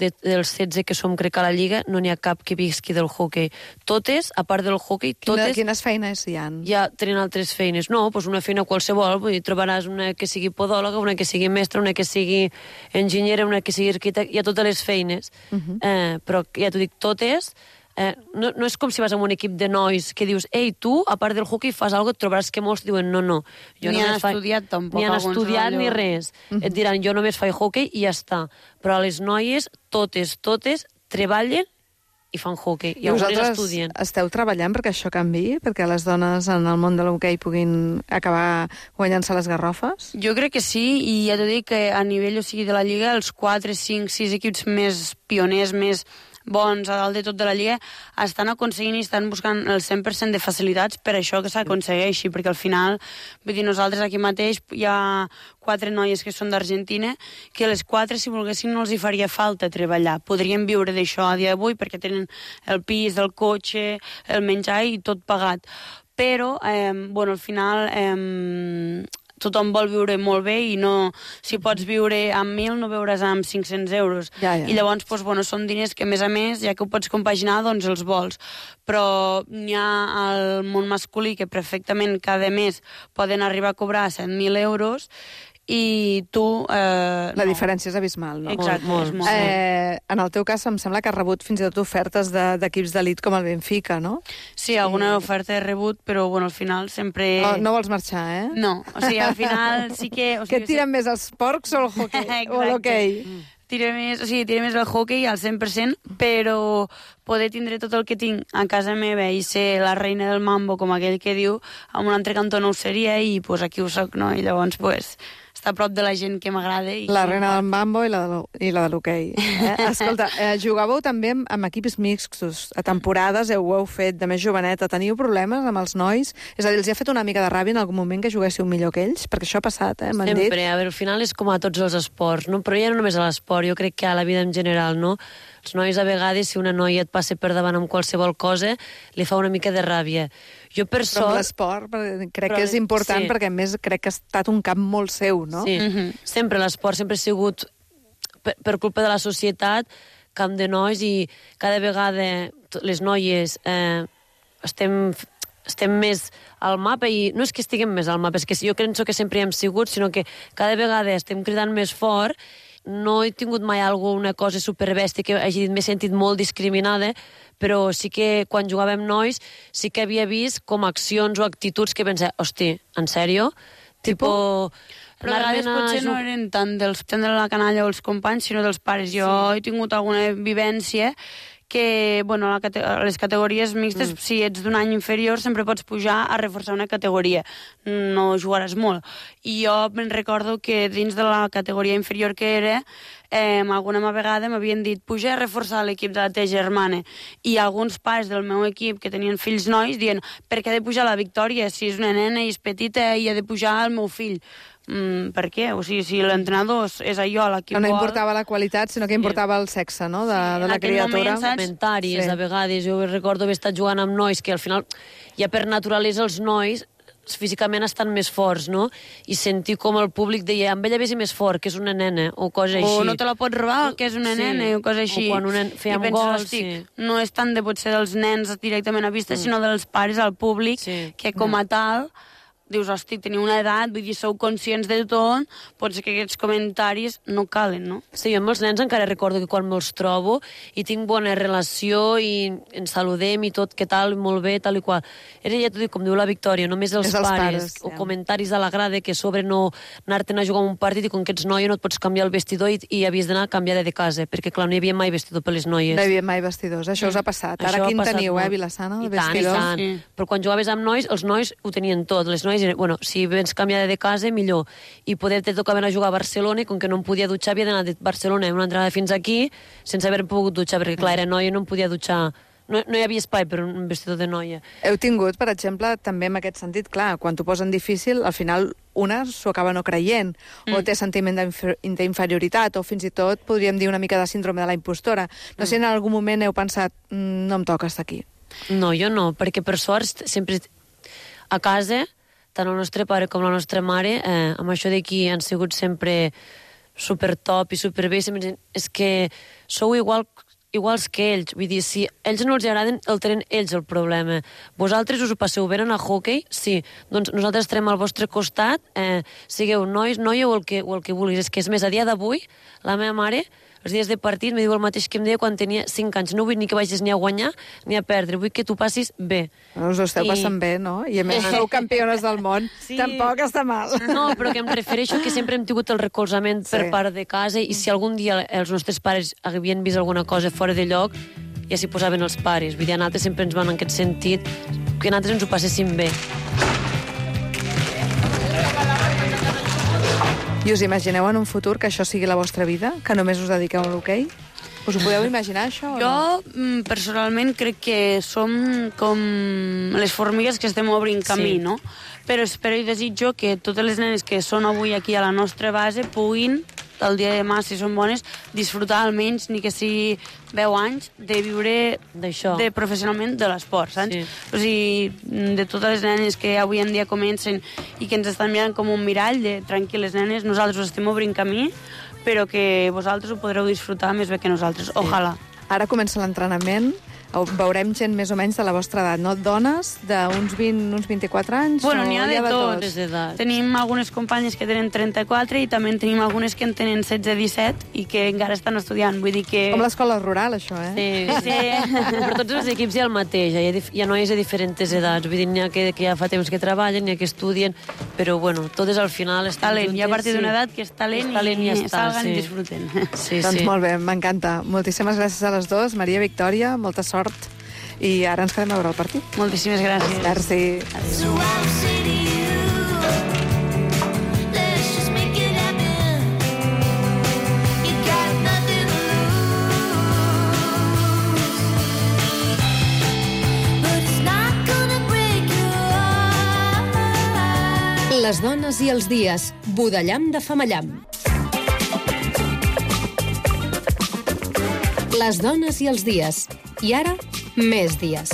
de, dels setze que som, crec, a la Lliga, no n'hi ha cap que visqui del hoquei. Totes, a part del hoquei, Quina, totes quines feines hi ha? ja tenen altres feines. No, doncs una feina qualsevol, vull dir, trobaràs una que sigui podòloga, una que sigui mestra, una que sigui enginyera, una que sigui arquitecte, hi ha totes les feines. Uh -huh. eh, però ja t'ho dic, totes... Eh, no, no és com si vas a un equip de nois que dius, ei, tu, a part del hockey, fas alguna cosa, et trobaràs que molts diuen, no, no. Jo Ni només han faig- estudiat, tampoc, Ni han alguns estudiat allò. ni res. Uh -huh. Et diran, jo només faig hockey i ja està. Però a les noies, totes, totes, treballen i fan hockey. I, I algunes vosaltres estudien. esteu treballant perquè això canviï, perquè les dones en el món de l'hoquei puguin acabar guanyant-se les garrofes? Jo crec que sí, i ja t'ho dic que a nivell, o sigui, de la Lliga, els quatre, cinc, sis equips més pioners, més bons a dalt de tot de la Lliga, estan aconseguint i estan buscant el cent per cent de facilitats per això que s'aconsegueixi, perquè al final, vull dir, nosaltres aquí mateix hi ha quatre noies que són d'Argentina, que les quatre, si volguessin, no els hi faria falta treballar. Podrien viure d'això a dia d'avui perquè tenen el pis, el cotxe, el menjar i tot pagat. Però, eh, bueno, al final... Eh, tothom vol viure molt bé i no, si pots viure amb mil no veuràs amb cinc-cents euros. Ja, ja. I llavors, doncs, bueno, són diners que, a més a més, ja que ho pots compaginar, doncs els vols. Però n'hi ha al món masculí que perfectament cada mes poden arribar a cobrar set mil euros i tu... Eh, La no. diferència és abismal, no? Exacte, Molt, és molt. molt. Eh, en el teu cas, em sembla que has rebut fins i tot ofertes de- d'equips d'elit com el Benfica, no? Sí, alguna oferta he rebut, però bueno, al final sempre... No, no vols marxar, eh? No, o sigui, al final sí que... O Què sigui, et tiren més, els porcs o el hoquei? O Exacte. l'hoquei? Tira més, o sigui, tira més el hockey al cent per cent, però poder tindre tot el que tinc a casa meva i ser la reina del mambo, com aquell que diu, amb un altre cantó no ho seria i pues, aquí ho soc, no? I llavors pues, estar a prop de la gent que m'agrada. I La que- reina del mambo i la de, l'ho- i la de l'hoquei. Eh? Escolta, eh, jugàveu també amb, amb equips mixtos. A temporades heu, ho heu fet de més joveneta. Teniu problemes amb els nois? És a dir, els hi ha fet una mica de ràbia en algun moment que juguéssiu millor que ells? Perquè això ha passat, eh? M'han dit. Sempre, a veure, al final és com a tots els esports, no? Però ja no només a l'esport, jo crec que a la vida en general, no? Els nois, a vegades, si una noia et passa per davant amb qualsevol cosa, li fa una mica de ràbia. Jo, per Però amb sort... l'esport perquè crec Però que és important sí. perquè, a més, crec que ha estat un camp molt seu, no? Sí, sempre l'esport sempre ha sigut, per, per culpa de la societat, camp de nois i cada vegada t- les noies eh, estem, estem més al mapa i no és que estiguem més al mapa, és que jo penso que sempre hi hem sigut, sinó que cada vegada estem cridant més fort. No he tingut mai alguna cosa superbèstia que hagi dit, m'he sentit molt discriminada, però sí que quan jugàvem nois sí que havia vist com accions o actituds que pensava, hosti, en sèrio? Tipo... Però a vegades anar-me'n a potser no jug- eren tant dels tant de la canalla o els companys, sinó dels pares. Jo sí. he tingut alguna vivència que, bueno, a, la cate a les categories mixtes, mm. si ets d'un any inferior, sempre pots pujar a reforçar una categoria. No jugaràs molt. I jo me'n recordo que dins de la categoria inferior que era, eh, alguna vegada m'havien dit puja a reforçar l'equip de la teva germana, i alguns pares del meu equip que tenien fills nois dient per què ha de pujar la Victòria si és una nena i és petita i ha de pujar el meu fill? Mm, per què? O sigui, si l'entrenador és allò, l'equip No, no vol... importava la qualitat, sinó que importava el sexe, no?, de, de la criatura. Comentaris, Sí. a vegades. Jo recordo haver estat jugant amb nois que al final, ja per naturalesa, els nois físicament estan més forts, no? I sentir com el públic deia amb ella vés més fort, que és una nena, o cosa així. O no te la pots robar, que és una Sí. nena, o cosa així. O quan una, fèiem I penses, gols, hosti, sí. no és tant de potser dels nens directament a vista, Mm. sinó dels pares al públic, Sí. que com a tal dius, hosti, teniu una edat, vull dir, sou conscients de tot, pot ser que aquests comentaris no calen, no? Sí, jo amb els nens encara recordo que quan me'ls trobo i tinc bona relació i ens saludem i tot, què tal, molt bé, tal i qual. Era ja t'ho dic, com diu la Victòria, només els, És els pares, pares, o ja. comentaris a la grada que sobre no anar-te'n a jugar a un partit i com que ets noia no et pots canviar el vestidor i, i havies d'anar a canviar de casa, perquè clar, no hi havia mai vestidor per les noies. No hi havia mai vestidors, això us ha passat. Això Ara ha quin passat teniu, molt. eh, Vilassana, I de tant, i vestidors? tant. Sí. Però quan jugaves amb nois, els nois ho tenien tot. Les noies, eren- bueno, si vens canviada de casa, millor. I poder te tocaven a jugar a Barcelona i com que no em podia dutxar, havia d'anar de Barcelona una entrada fins aquí sense haver pogut dutxar, perquè clar, era noia i no em podia dutxar. No, no hi havia espai per un vestidor de noia. Heu tingut, per exemple, també en aquest sentit, clar, quan t'ho posen difícil, al final una s'ho acaba no creient, mm. o té sentiment d'infer- d'inferioritat, o fins i tot podríem dir una mica de síndrome de la impostora. No sé si en algun moment heu pensat, mm, no em toca estar aquí. No, jo no, perquè per sort sempre a casa, tant el nostre pare com la nostra mare, eh, amb això d'aquí han sigut sempre super top i super bé. Sempre ens diuen, és que sou igual, iguals que ells. Vull dir, si ells no els agraden, el tenen ells el problema. Vosaltres us ho passeu bé en el hockey? Sí. Doncs nosaltres estarem al vostre costat, eh, sigueu nois, noia o el que, o el que vulguis. És que és més, a dia d'avui, la meva mare, els dies de partit, me diu el mateix que em deia quan tenia cinc anys. No vull ni que vagis ni a guanyar ni a perdre, vull que tu passis bé. Us ho esteu I- passant bé, no? I a més sou campiones del món. Sí. Tampoc està mal. No, però que em refereixo que sempre hem tingut el recolzament per Sí. part de casa i si algun dia els nostres pares havien vist alguna cosa fora de lloc, ja s'hi posaven els pares. Vull dir, a nosaltres sempre ens van en aquest sentit que nosaltres ens ho passéssim bé. I us imagineu en un futur que això sigui la vostra vida? Que només us dediqueu a l'hoquei? Us ho podeu imaginar, això? o no? Jo, mm, personalment, crec que som com les formigues que estem obrint camí, Sí. no? Però espero i desitjo que totes les nenes que són avui aquí a la nostra base puguin, el dia de demà, si són bones, disfrutar almenys, ni que sigui deu anys, de viure D'això. de professionalment de l'esport, saps? Sí. O sigui, de totes les nenes que avui en dia comencen i que ens estan mirant com un mirall de tranquil·les nenes, nosaltres us estem obrint camí, però que vosaltres ho podreu disfrutar més bé que nosaltres. Ojalà. Ara comença l'entrenament, veurem gent més o menys de la vostra edat, no? Dones d'uns vint, uns vint-i-quatre anys? Bueno, o n'hi ha de tot. Les edats. Tenim algunes companyes que tenen trenta-quatre i també en tenim algunes que en tenen setze disset i que encara estan estudiant. Vull dir que... Com l'escola rural, això, eh? Sí, sí. Per tots els equips hi ha el mateix, hi ha, dif- hi ha noies de diferents edats, vull dir, n'hi ha que, que ja fa temps que treballen, n'hi ha que estudien, però bueno, totes al final estan talent. juntes. I a partir sí. d'una edat que és talent, És talent i ja està, salgan sí. i disfruten. Sí, Doncs sí. molt bé, m'encanta. Moltíssimes gràcies a les dues. Maria, Victòria, molta sort. I ara ens quedem a veure el partit. Moltíssimes gràcies. Merci. So I'll say to you, let's just make it happen. You got nothing to lose, but it's not gonna break your heart. Les dones i els dies. Budellam de Famallam. Les dones i els dies. I ara, més dies.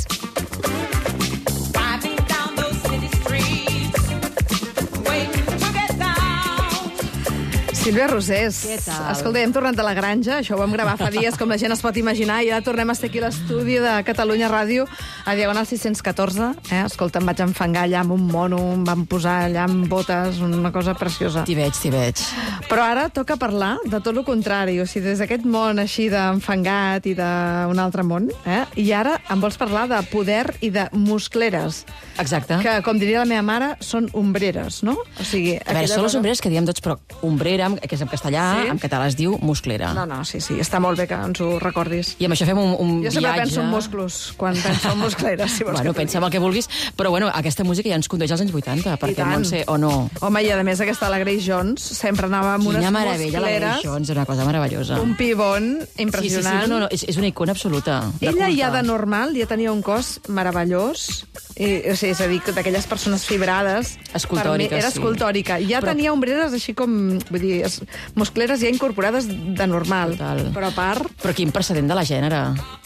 Sílvia Rosés. Què tal? Escolta, hem tornat de la granja, això ho vam gravar fa dies, com la gent es pot imaginar, i ara tornem a estar aquí a l'estudi de Catalunya Ràdio, a Diagonal sis cents catorze. Eh? Escolta, em vaig enfangar allà amb un mono, em van posar allà amb botes, una cosa preciosa. T'hi veig, t'hi veig. Però ara toca parlar de tot el contrari, o sigui, des d'aquest món així d'enfangat i d'un altre món, eh? I ara em vols parlar de poder i de muscleres, Exacte. que, com diria la meva mare, són ombreres, no? O sigui, A veure, aquella són les cosa- ombreres que diem tots, però ombrera amb que és en castellà, Sí? en català es diu musclera. No, no, sí, sí, està molt bé que ens ho recordis. I amb això fem un, un Jo sempre viatge... penso en musclos, quan penso en muscleres, si vols Bueno, que t'ho pensa en el que vulguis, però bueno, aquesta música ja ens condueix als anys vuitanta, perquè tant. Montse, o no? Home, i a més aquesta la Grace Jones sempre anava amb unes Quina meravella, la muscleres, Grace Jones, una cosa meravellosa. un pibon impressionant. Sí, sí, sí, no, no, és, és una icona absoluta. de Ella culte. ja de normal ja tenia un cos meravellós, i, o sigui, és a dir, d'aquelles persones fibrades. Escultòriques, per mi era sí. escultòrica. Ja Però- tenia ombreres així com, vull dir, es- muscleres ja incorporades de normal. Total. Però a part... Però quin precedent de la gènere.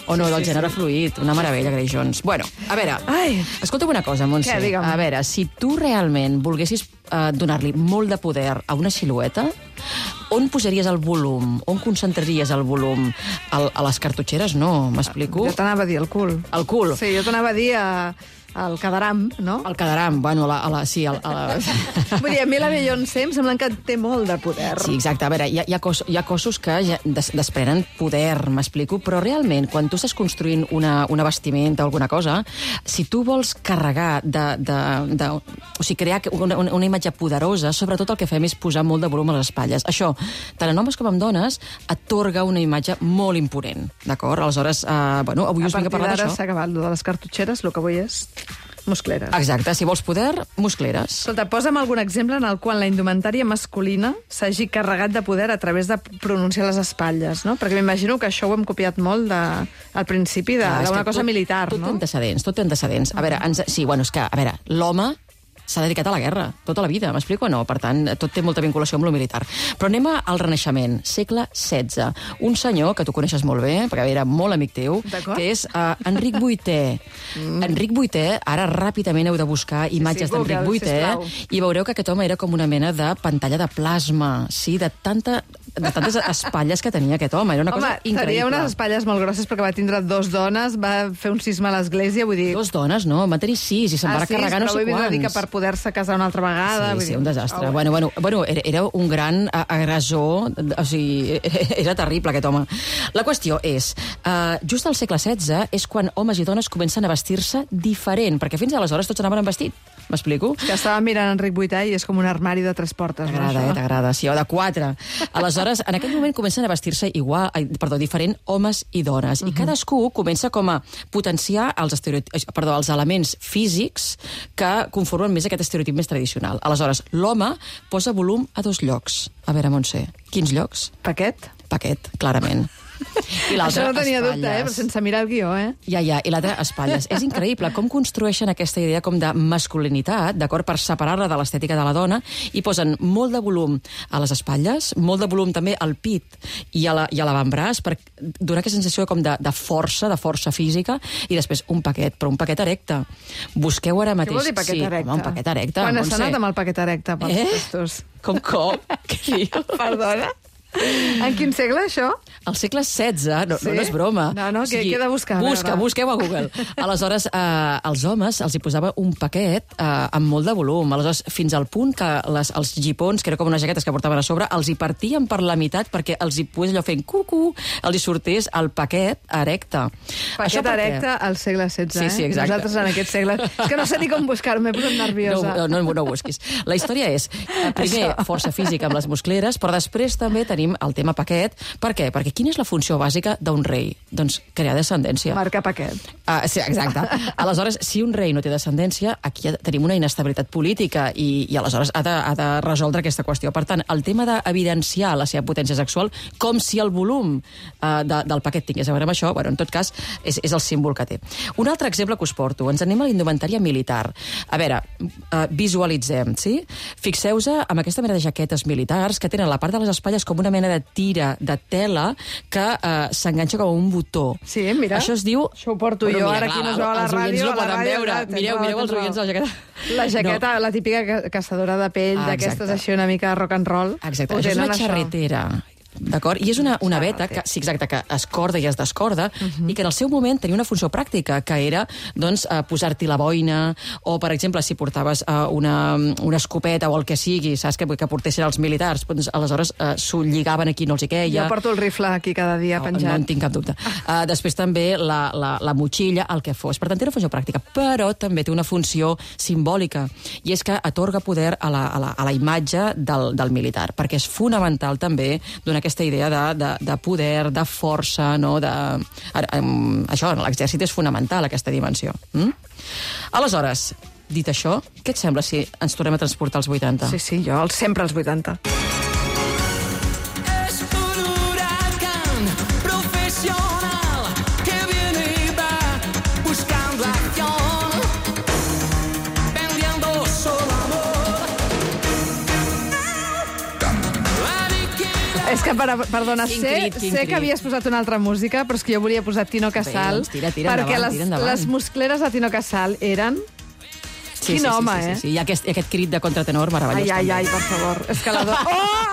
O no, Sí, del sí, gènere sí. fluid. Una meravella, Grace Jones. Bueno, a veure, Ai. escolta'm una cosa, Montse. Què, digue'm. A veure, si tu realment volguessis eh, donar-li molt de poder a una silueta, on posaries el volum? On concentraries el volum? Al, a les cartutxeres? No, m'explico? Jo t'anava a dir el cul. El cul. Sí, jo t'anava a dir a, al Cadaram, no? El quedaram, bueno, a la, a la, sí, a la, a la... Vull dir, a mi la Beyoncé em sembla que té molt de poder. Sí, exacte. A veure, hi ha, hi ha, cos, hi ha cossos que ja des, desprenen poder, m'explico, però realment, quan tu estàs construint una, una vestimenta o alguna cosa, si tu vols carregar de... de, de o sigui, crear una, una, una imatge poderosa, sobretot el que fem és posar molt de volum a les espatlles. Això, tant en homes com en dones, atorga una imatge molt imponent, d'acord? Aleshores, eh, bueno, avui A us vinc a partir parlar d'ara d'això. s'ha acabat lo de les cartutxeres, el que vull és muscleres. Exacte, si vols poder, muscleres. Escolta, posa'm algun exemple en el qual la indumentària masculina s'hagi carregat de poder a través de pronunciar les espatlles, no? Perquè m'imagino que això ho hem copiat molt de, al principi de- Clar, és d'una que cosa tot- militar, tot no? té antecedents, tot té antecedents. A veure, ens, sí, bueno, és que, a veure, l'home s'ha dedicat a la guerra, tota la vida, m'explico o no? Per tant, tot té molta vinculació amb lo militar. Però anem al Renaixement, segle setze. Un senyor, que tu coneixes molt bé, perquè era molt amic teu, D'acord. que és uh, Enric vuitè. Mm. Enric vuitè, ara ràpidament heu de buscar imatges sí, d'Enric Google, vuitè, sisplau. i veureu que aquest home era com una mena de pantalla de plasma, sí, de, tanta, de tantes espatlles que tenia aquest home. Era una Home, cosa increïble. tenia unes espatlles molt grosses perquè va tindre dos dones, va fer un cisma a l'església, vull dir... Dos dones, no? Va tenir sis i se'n va sis, carregar no però sé vull quants. dir que per poder-se casar una altra vegada... vull Sí, sí, dir, un desastre. ah, Bueno, bueno, bueno era, era un gran a- agressor, o sigui, era terrible aquest home. La qüestió és, uh, just al segle setze és quan homes i dones comencen a vestir-se diferent, perquè fins aleshores tots anaven amb vestit. M'explico? Que estava mirant Enric vuitè i és com un armari de tres portes. no, T'agrada, això? eh? T'agrada, sí, o de quatre. Aleshores, en aquell moment comencen a vestir-se igual, ai, perdó, diferent homes i dones. I cadascú comença com a potenciar els, estereotips, perdó, els elements físics que conformen més aquest estereotip més tradicional. Aleshores, l'home posa volum a dos llocs. A veure, Montse, quins llocs? Paquet? Paquet, clarament. I l'altre, Això no tenia espatlles. dubte, eh? Però sense mirar el guió, eh? Ja, ja, i l'altre, espatlles. És increïble com construeixen aquesta idea com de masculinitat, d'acord, per separar-la de l'estètica de la dona, i posen molt de volum a les espatlles, molt de volum també al pit i a la- i a l'avantbraç, per donar aquesta sensació com de, de força, de força física, i després un paquet, però un paquet erecte. Busqueu ara mateix. Què vol dir paquet sí, erecte? Home, un paquet erecte. Quan has Montse. anat amb el paquet erecte pels Eh? testos? Com, com? Què dius? Perdona? En quin segle, això? Al segle setze, no, Sí? no, no és broma. No, no, què- què he de buscar? A Busca, veure. busqueu a Google. Aleshores, eh, als homes els hi posava un paquet eh, amb molt de volum. Aleshores, fins al punt que les, els gipons, que era com unes jaquetes que portaven a sobre, els hi partien per la meitat perquè els hi pogués allò fent cucu, els hi sortés el paquet erecte. Paquet per què? erecte al segle setze, Sí, eh? sí, exacte. Nosaltres en aquest segle... És que no sé ni com buscar-ho, m'he posat nerviosa. No, no, no, no ho busquis. La història és, eh, primer, Això. força física amb les muscleres, però després també tenim el tema paquet. Per què? Perquè quina és la funció bàsica d'un rei? Doncs crear descendència. Marcar paquet. Ah, sí, exacte. Aleshores, si un rei no té descendència, aquí ja tenim una inestabilitat política i, i aleshores ha de, ha de resoldre aquesta qüestió. Per tant, el tema d'evidenciar la seva potència sexual, com si el volum eh, de, del paquet tingués a veure amb això, bueno, en tot cas, és, és el símbol que té. Un altre exemple que us porto. Ens anem a la indumentària militar. A veure, eh, visualitzem, sí? Fixeu-vos amb aquesta mena de jaquetes militars que tenen la part de les espatlles com una mena de tira de tela que eh, s'enganxa com un botó. Sí, mira. Això es diu... Això ho porto jo, ara aquí no es veu a la els oients ràdio, no a la poden ràdio, veure. clar, tens Mireu, raó, mireu els tens oients de raó. la jaqueta. La jaqueta, no. La típica ca- caçadora de pell, Ah, d'aquestes exacte. així una mica rock and roll. Exacte, Ho això és tenen, una xarretera. d'acord? I és una, una veta que, sí, exacte, que es corda i es descorda, uh-huh. i que en el seu moment tenia una funció pràctica, que era doncs, eh, posar-t'hi la boina, o, per exemple, si portaves eh, una, una escopeta o el que sigui, saps, que, que portessin els militars, doncs, aleshores eh, s'ho lligaven aquí, no els hi queia. Jo porto el rifle aquí cada dia no, penjat. No en tinc cap dubte. Uh, després també la, la, la motxilla, el que fos. Per tant, té una funció pràctica, però també té una funció simbòlica, i és que atorga poder a la, a la, a la imatge del, del militar, perquè és fonamental també donar aquesta idea de, de, de poder, de força, no? De, um, això, l'exèrcit és fonamental, aquesta dimensió. Mm? Aleshores, dit això, què et sembla si ens tornem a transportar als vuitanta? Sí, sí, jo els, sempre als vuitanta. És que, per, perdona, Quin sé, crit, quin sé crit. que havies posat una altra música, però és que jo volia posar Tino Casal, Bé, doncs tira, tira perquè endavant, les, tira endavant. les muscleres de Tino Casal eren... Sí, Quin sí, home, sí, sí, eh? sí, sí. I aquest, aquest crit de contratenor meravellós. Ai, ai, també. ai, per favor. És que la do... Oh!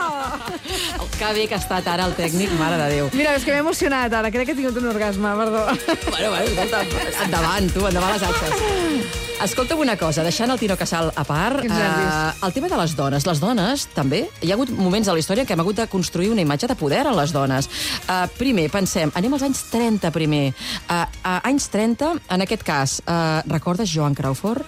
Que bé que ha estat ara el tècnic, mare de Déu. Mira, és que m'he emocionat ara, crec que he tingut un orgasme, perdó. Bueno, bueno, escolta, endavant, tu, endavant les atxes. Escolta'm una cosa, deixant el Tino Casal a part, Quins nervis. eh, el tema de les dones. Les dones, també, hi ha hagut moments a la història en què hem hagut de construir una imatge de poder a les dones. Eh, primer, pensem, anem als anys trenta primer. Eh, a anys trenta, en aquest cas, eh, recordes Joan Crawford?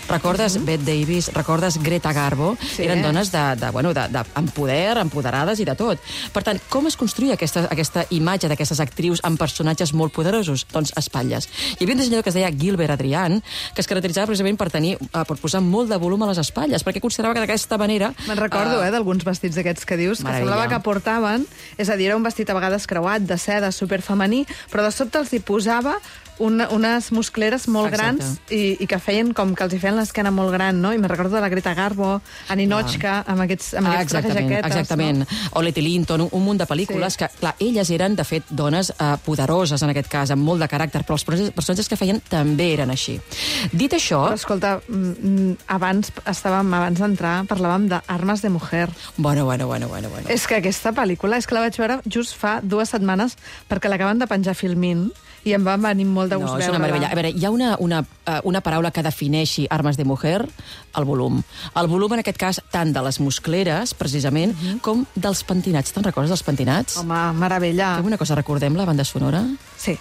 Recordes mm -hmm. Bette Davis? Recordes Greta Garbo? Sí. Eren dones de, de, bueno, de, de, amb poder, empoderades i de tot. Per tant, com es construïa aquesta, aquesta imatge d'aquestes actrius amb personatges molt poderosos? Doncs espatlles. Hi havia un dissenyador que es deia Gilbert Adrian, que es caracteritzava precisament per tenir, uh, per posar molt de volum a les espatlles, perquè considerava que d'aquesta manera... Me'n recordo, uh, eh, d'alguns vestits d'aquests que dius, que Meravella. semblava que portaven, és a dir, era un vestit a vegades creuat, de seda, superfemení, però de sobte els hi posava una, unes muscleres molt Exacte. grans i, i que feien com que els hi feien l'esquena molt gran, no? I me'n recordo de la Greta Garbo, a Ninochka, amb aquests, amb Ah, aquests trajes exactament, jaquetes. exactament. No? O Letty Linton, un, un munt de pel·lícules Sí. que, clar, elles eren, de fet, dones eh, poderoses, en aquest cas, amb molt de caràcter, però els personatges- personatges que feien també eren així. Dit això... Però, escolta, mm, abans estàvem, abans d'entrar, parlàvem d'Armes de Mujer. Bueno, bueno, bueno, bueno, bueno. És que aquesta pel·lícula, és que la vaig veure just fa dues setmanes perquè l'acaben de penjar Filmin i em va venir molt de gust No, és veure-la. una meravella. A veure, hi ha una, una, eh, una paraula que defineixi Armes de Mujer, el volum. El volum, en aquest cas, tant de les muscleres, precisament, uh -huh. com dels pentinats. Te'n recordes dels pentinats? Home, meravella. Fem una cosa, recordem la banda sonora? Sí.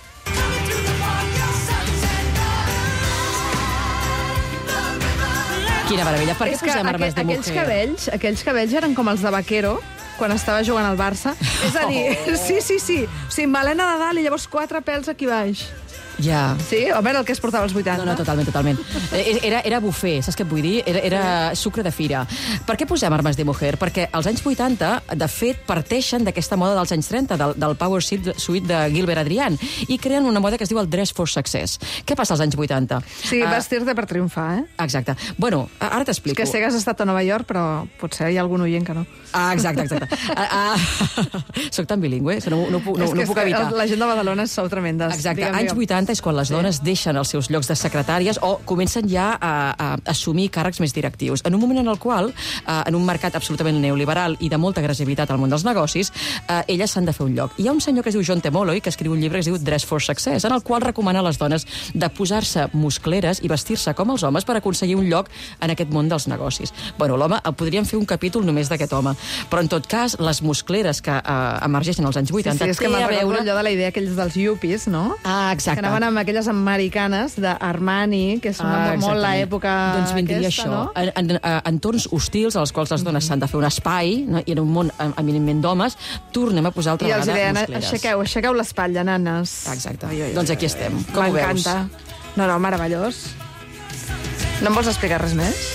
Quina meravella. Per què És que posem Armes de aquells Mujer? cabells, aquells cabells eren com els de Vaquero, quan estava jugant al Barça. És a dir, Oh. sí, sí, sí. O sigui, melena de dalt i llavors quatre pèls aquí baix. Ja. Sí? Home, era el que es portava als vuitanta. No, no, totalment, totalment. Eh, Era, era bufet, saps què et vull dir? Era, era sucre de fira. Per què posem Armes de Mujer? Perquè als anys vuitanta, de fet, parteixen d'aquesta moda dels anys trenta, del, del Power Suite de Gilbert Adrian, i creen una moda que es diu el Dress for Success. Què passa als anys vuitanta? Sí, Ah, vestir-te per triomfar, eh? Exacte. Bueno, ara És t'explico. que sé que has estat a Nova York, però potser hi ha algun oient que no. Ah, exacte, exacte. ah, ah, soc tan bilingüe que no, no, puc- no, és que, no és puc que evitar. la gent de Badalona sou tremendes. Exacte, Digue'm, anys digue'm. vuitanta és quan les dones deixen els seus llocs de secretàries o comencen ja a, a assumir càrrecs més directius. En un moment en el qual, eh, en un mercat absolutament neoliberal i de molta agressivitat al món dels negocis, eh, elles s'han de fer un lloc. Hi ha un senyor que es diu John T. Molloy, que escriu un llibre que es diu Dress for Success, en el qual recomana a les dones de posar-se muscleres i vestir-se com els homes per aconseguir un lloc en aquest món dels negocis. Bueno, l'home, el podríem fer un capítol només d'aquest home, però en tot cas, les muscleres que eh, emergeixen als anys Sí, vuitanta sí, és que té me'n a recordo veure... allò de la idea aquells dels yuppies, no? Ah, exacte. Que anaven amb aquelles americanes d'Armani, que és una, Ah, molt exactament. l'època Doncs vindria aquesta, això. no? En, en, en entorns hostils als quals les dones s'han de fer un espai, no? I en un món em- eminentment d'homes, tornem a posar altra I els vegada deien, muscleres. aixequeu, aixequeu l'espatlla, nanes. Exacte. Ai, ai, ai, Doncs aquí estem. Com ho veus? M'encanta. No, no, meravellós. No em vols explicar res més?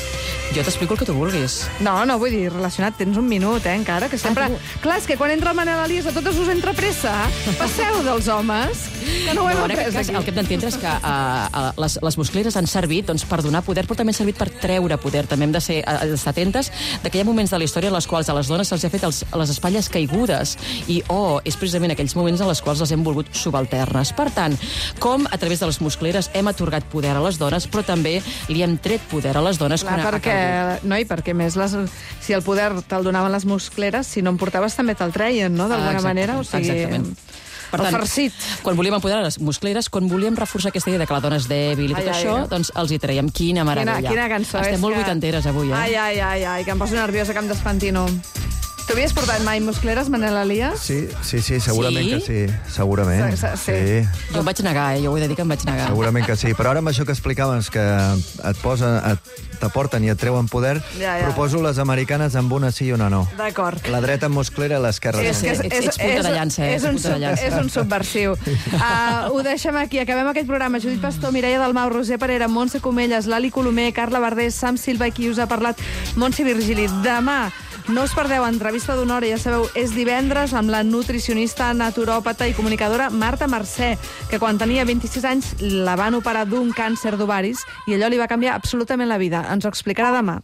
Jo t'explico el que tu vulguis. No, no, vull dir, relacionat, tens un minut, eh, encara, que sempre... Ah, tu- Clar, és que quan entra el Manel Elias a totes us entra pressa. Passeu dels homes. Que no ho hem en aquest après cas, aquí. el que hem d'entendre és que uh, les, les muscleres han servit doncs, per donar poder, però també han servit per treure poder. També hem de ser, uh, estar atentes de que hi ha moments de la història en les quals a les dones se'ls ha fet els, les espatlles caigudes i, oh, és precisament aquells moments en els quals les hem volgut subalternes. Per tant, com a través de les muscleres hem atorgat poder a les dones, però també li hem tret poder a les dones. Clar, quan ha perquè, calgut. no, i perquè més les, si el poder te'l donaven les muscleres, si no en portaves també te'l treien, no?, d'alguna Ah, manera. O sigui, exactament. Per el tant, farcit. quan volíem empoderar les muscleres, quan volíem reforçar aquesta idea de que la dona és dèbil i tot Ai, ai, això, ai. doncs els hi traiem. Quina meravella. Quina, quina cançó. Estem és molt que... vuitanteres avui, eh? Ai, ai, ai, ai, que em poso nerviosa, que em despentino. Tu havies portat mai muscleres, Manel Elias? Sí, sí, sí, segurament Sí? que sí. Segurament. Sí, sí. sí. Jo em vaig negar, eh? Jo ho he de dir que em vaig negar. Segurament que sí. Però ara amb això que explicaves, que et posa, et, t'aporten i et treuen poder, Ja, ja. proposo les americanes amb una sí i una no. D'acord. La dreta musclera i l'esquerra És, no. que és, Ets- és, ets punta de llança, eh? és, un, Ets punta de sub, llança. és un subversiu. Uh, ho deixem aquí. Acabem aquest programa. Judit Pastor, Mireia Dalmau, Roser Parera, Montse Comelles, Lali Colomer, Carla Verdés, Sam Silva i qui us ha parlat, Montse Virgili. Demà no us perdeu entrevista d'una hora, ja sabeu, és divendres amb la nutricionista, naturòpata i comunicadora Marta Mercè, que quan tenia vint-i-sis anys la van operar d'un càncer d'ovaris i allò li va canviar absolutament la vida. Ens ho explicarà demà.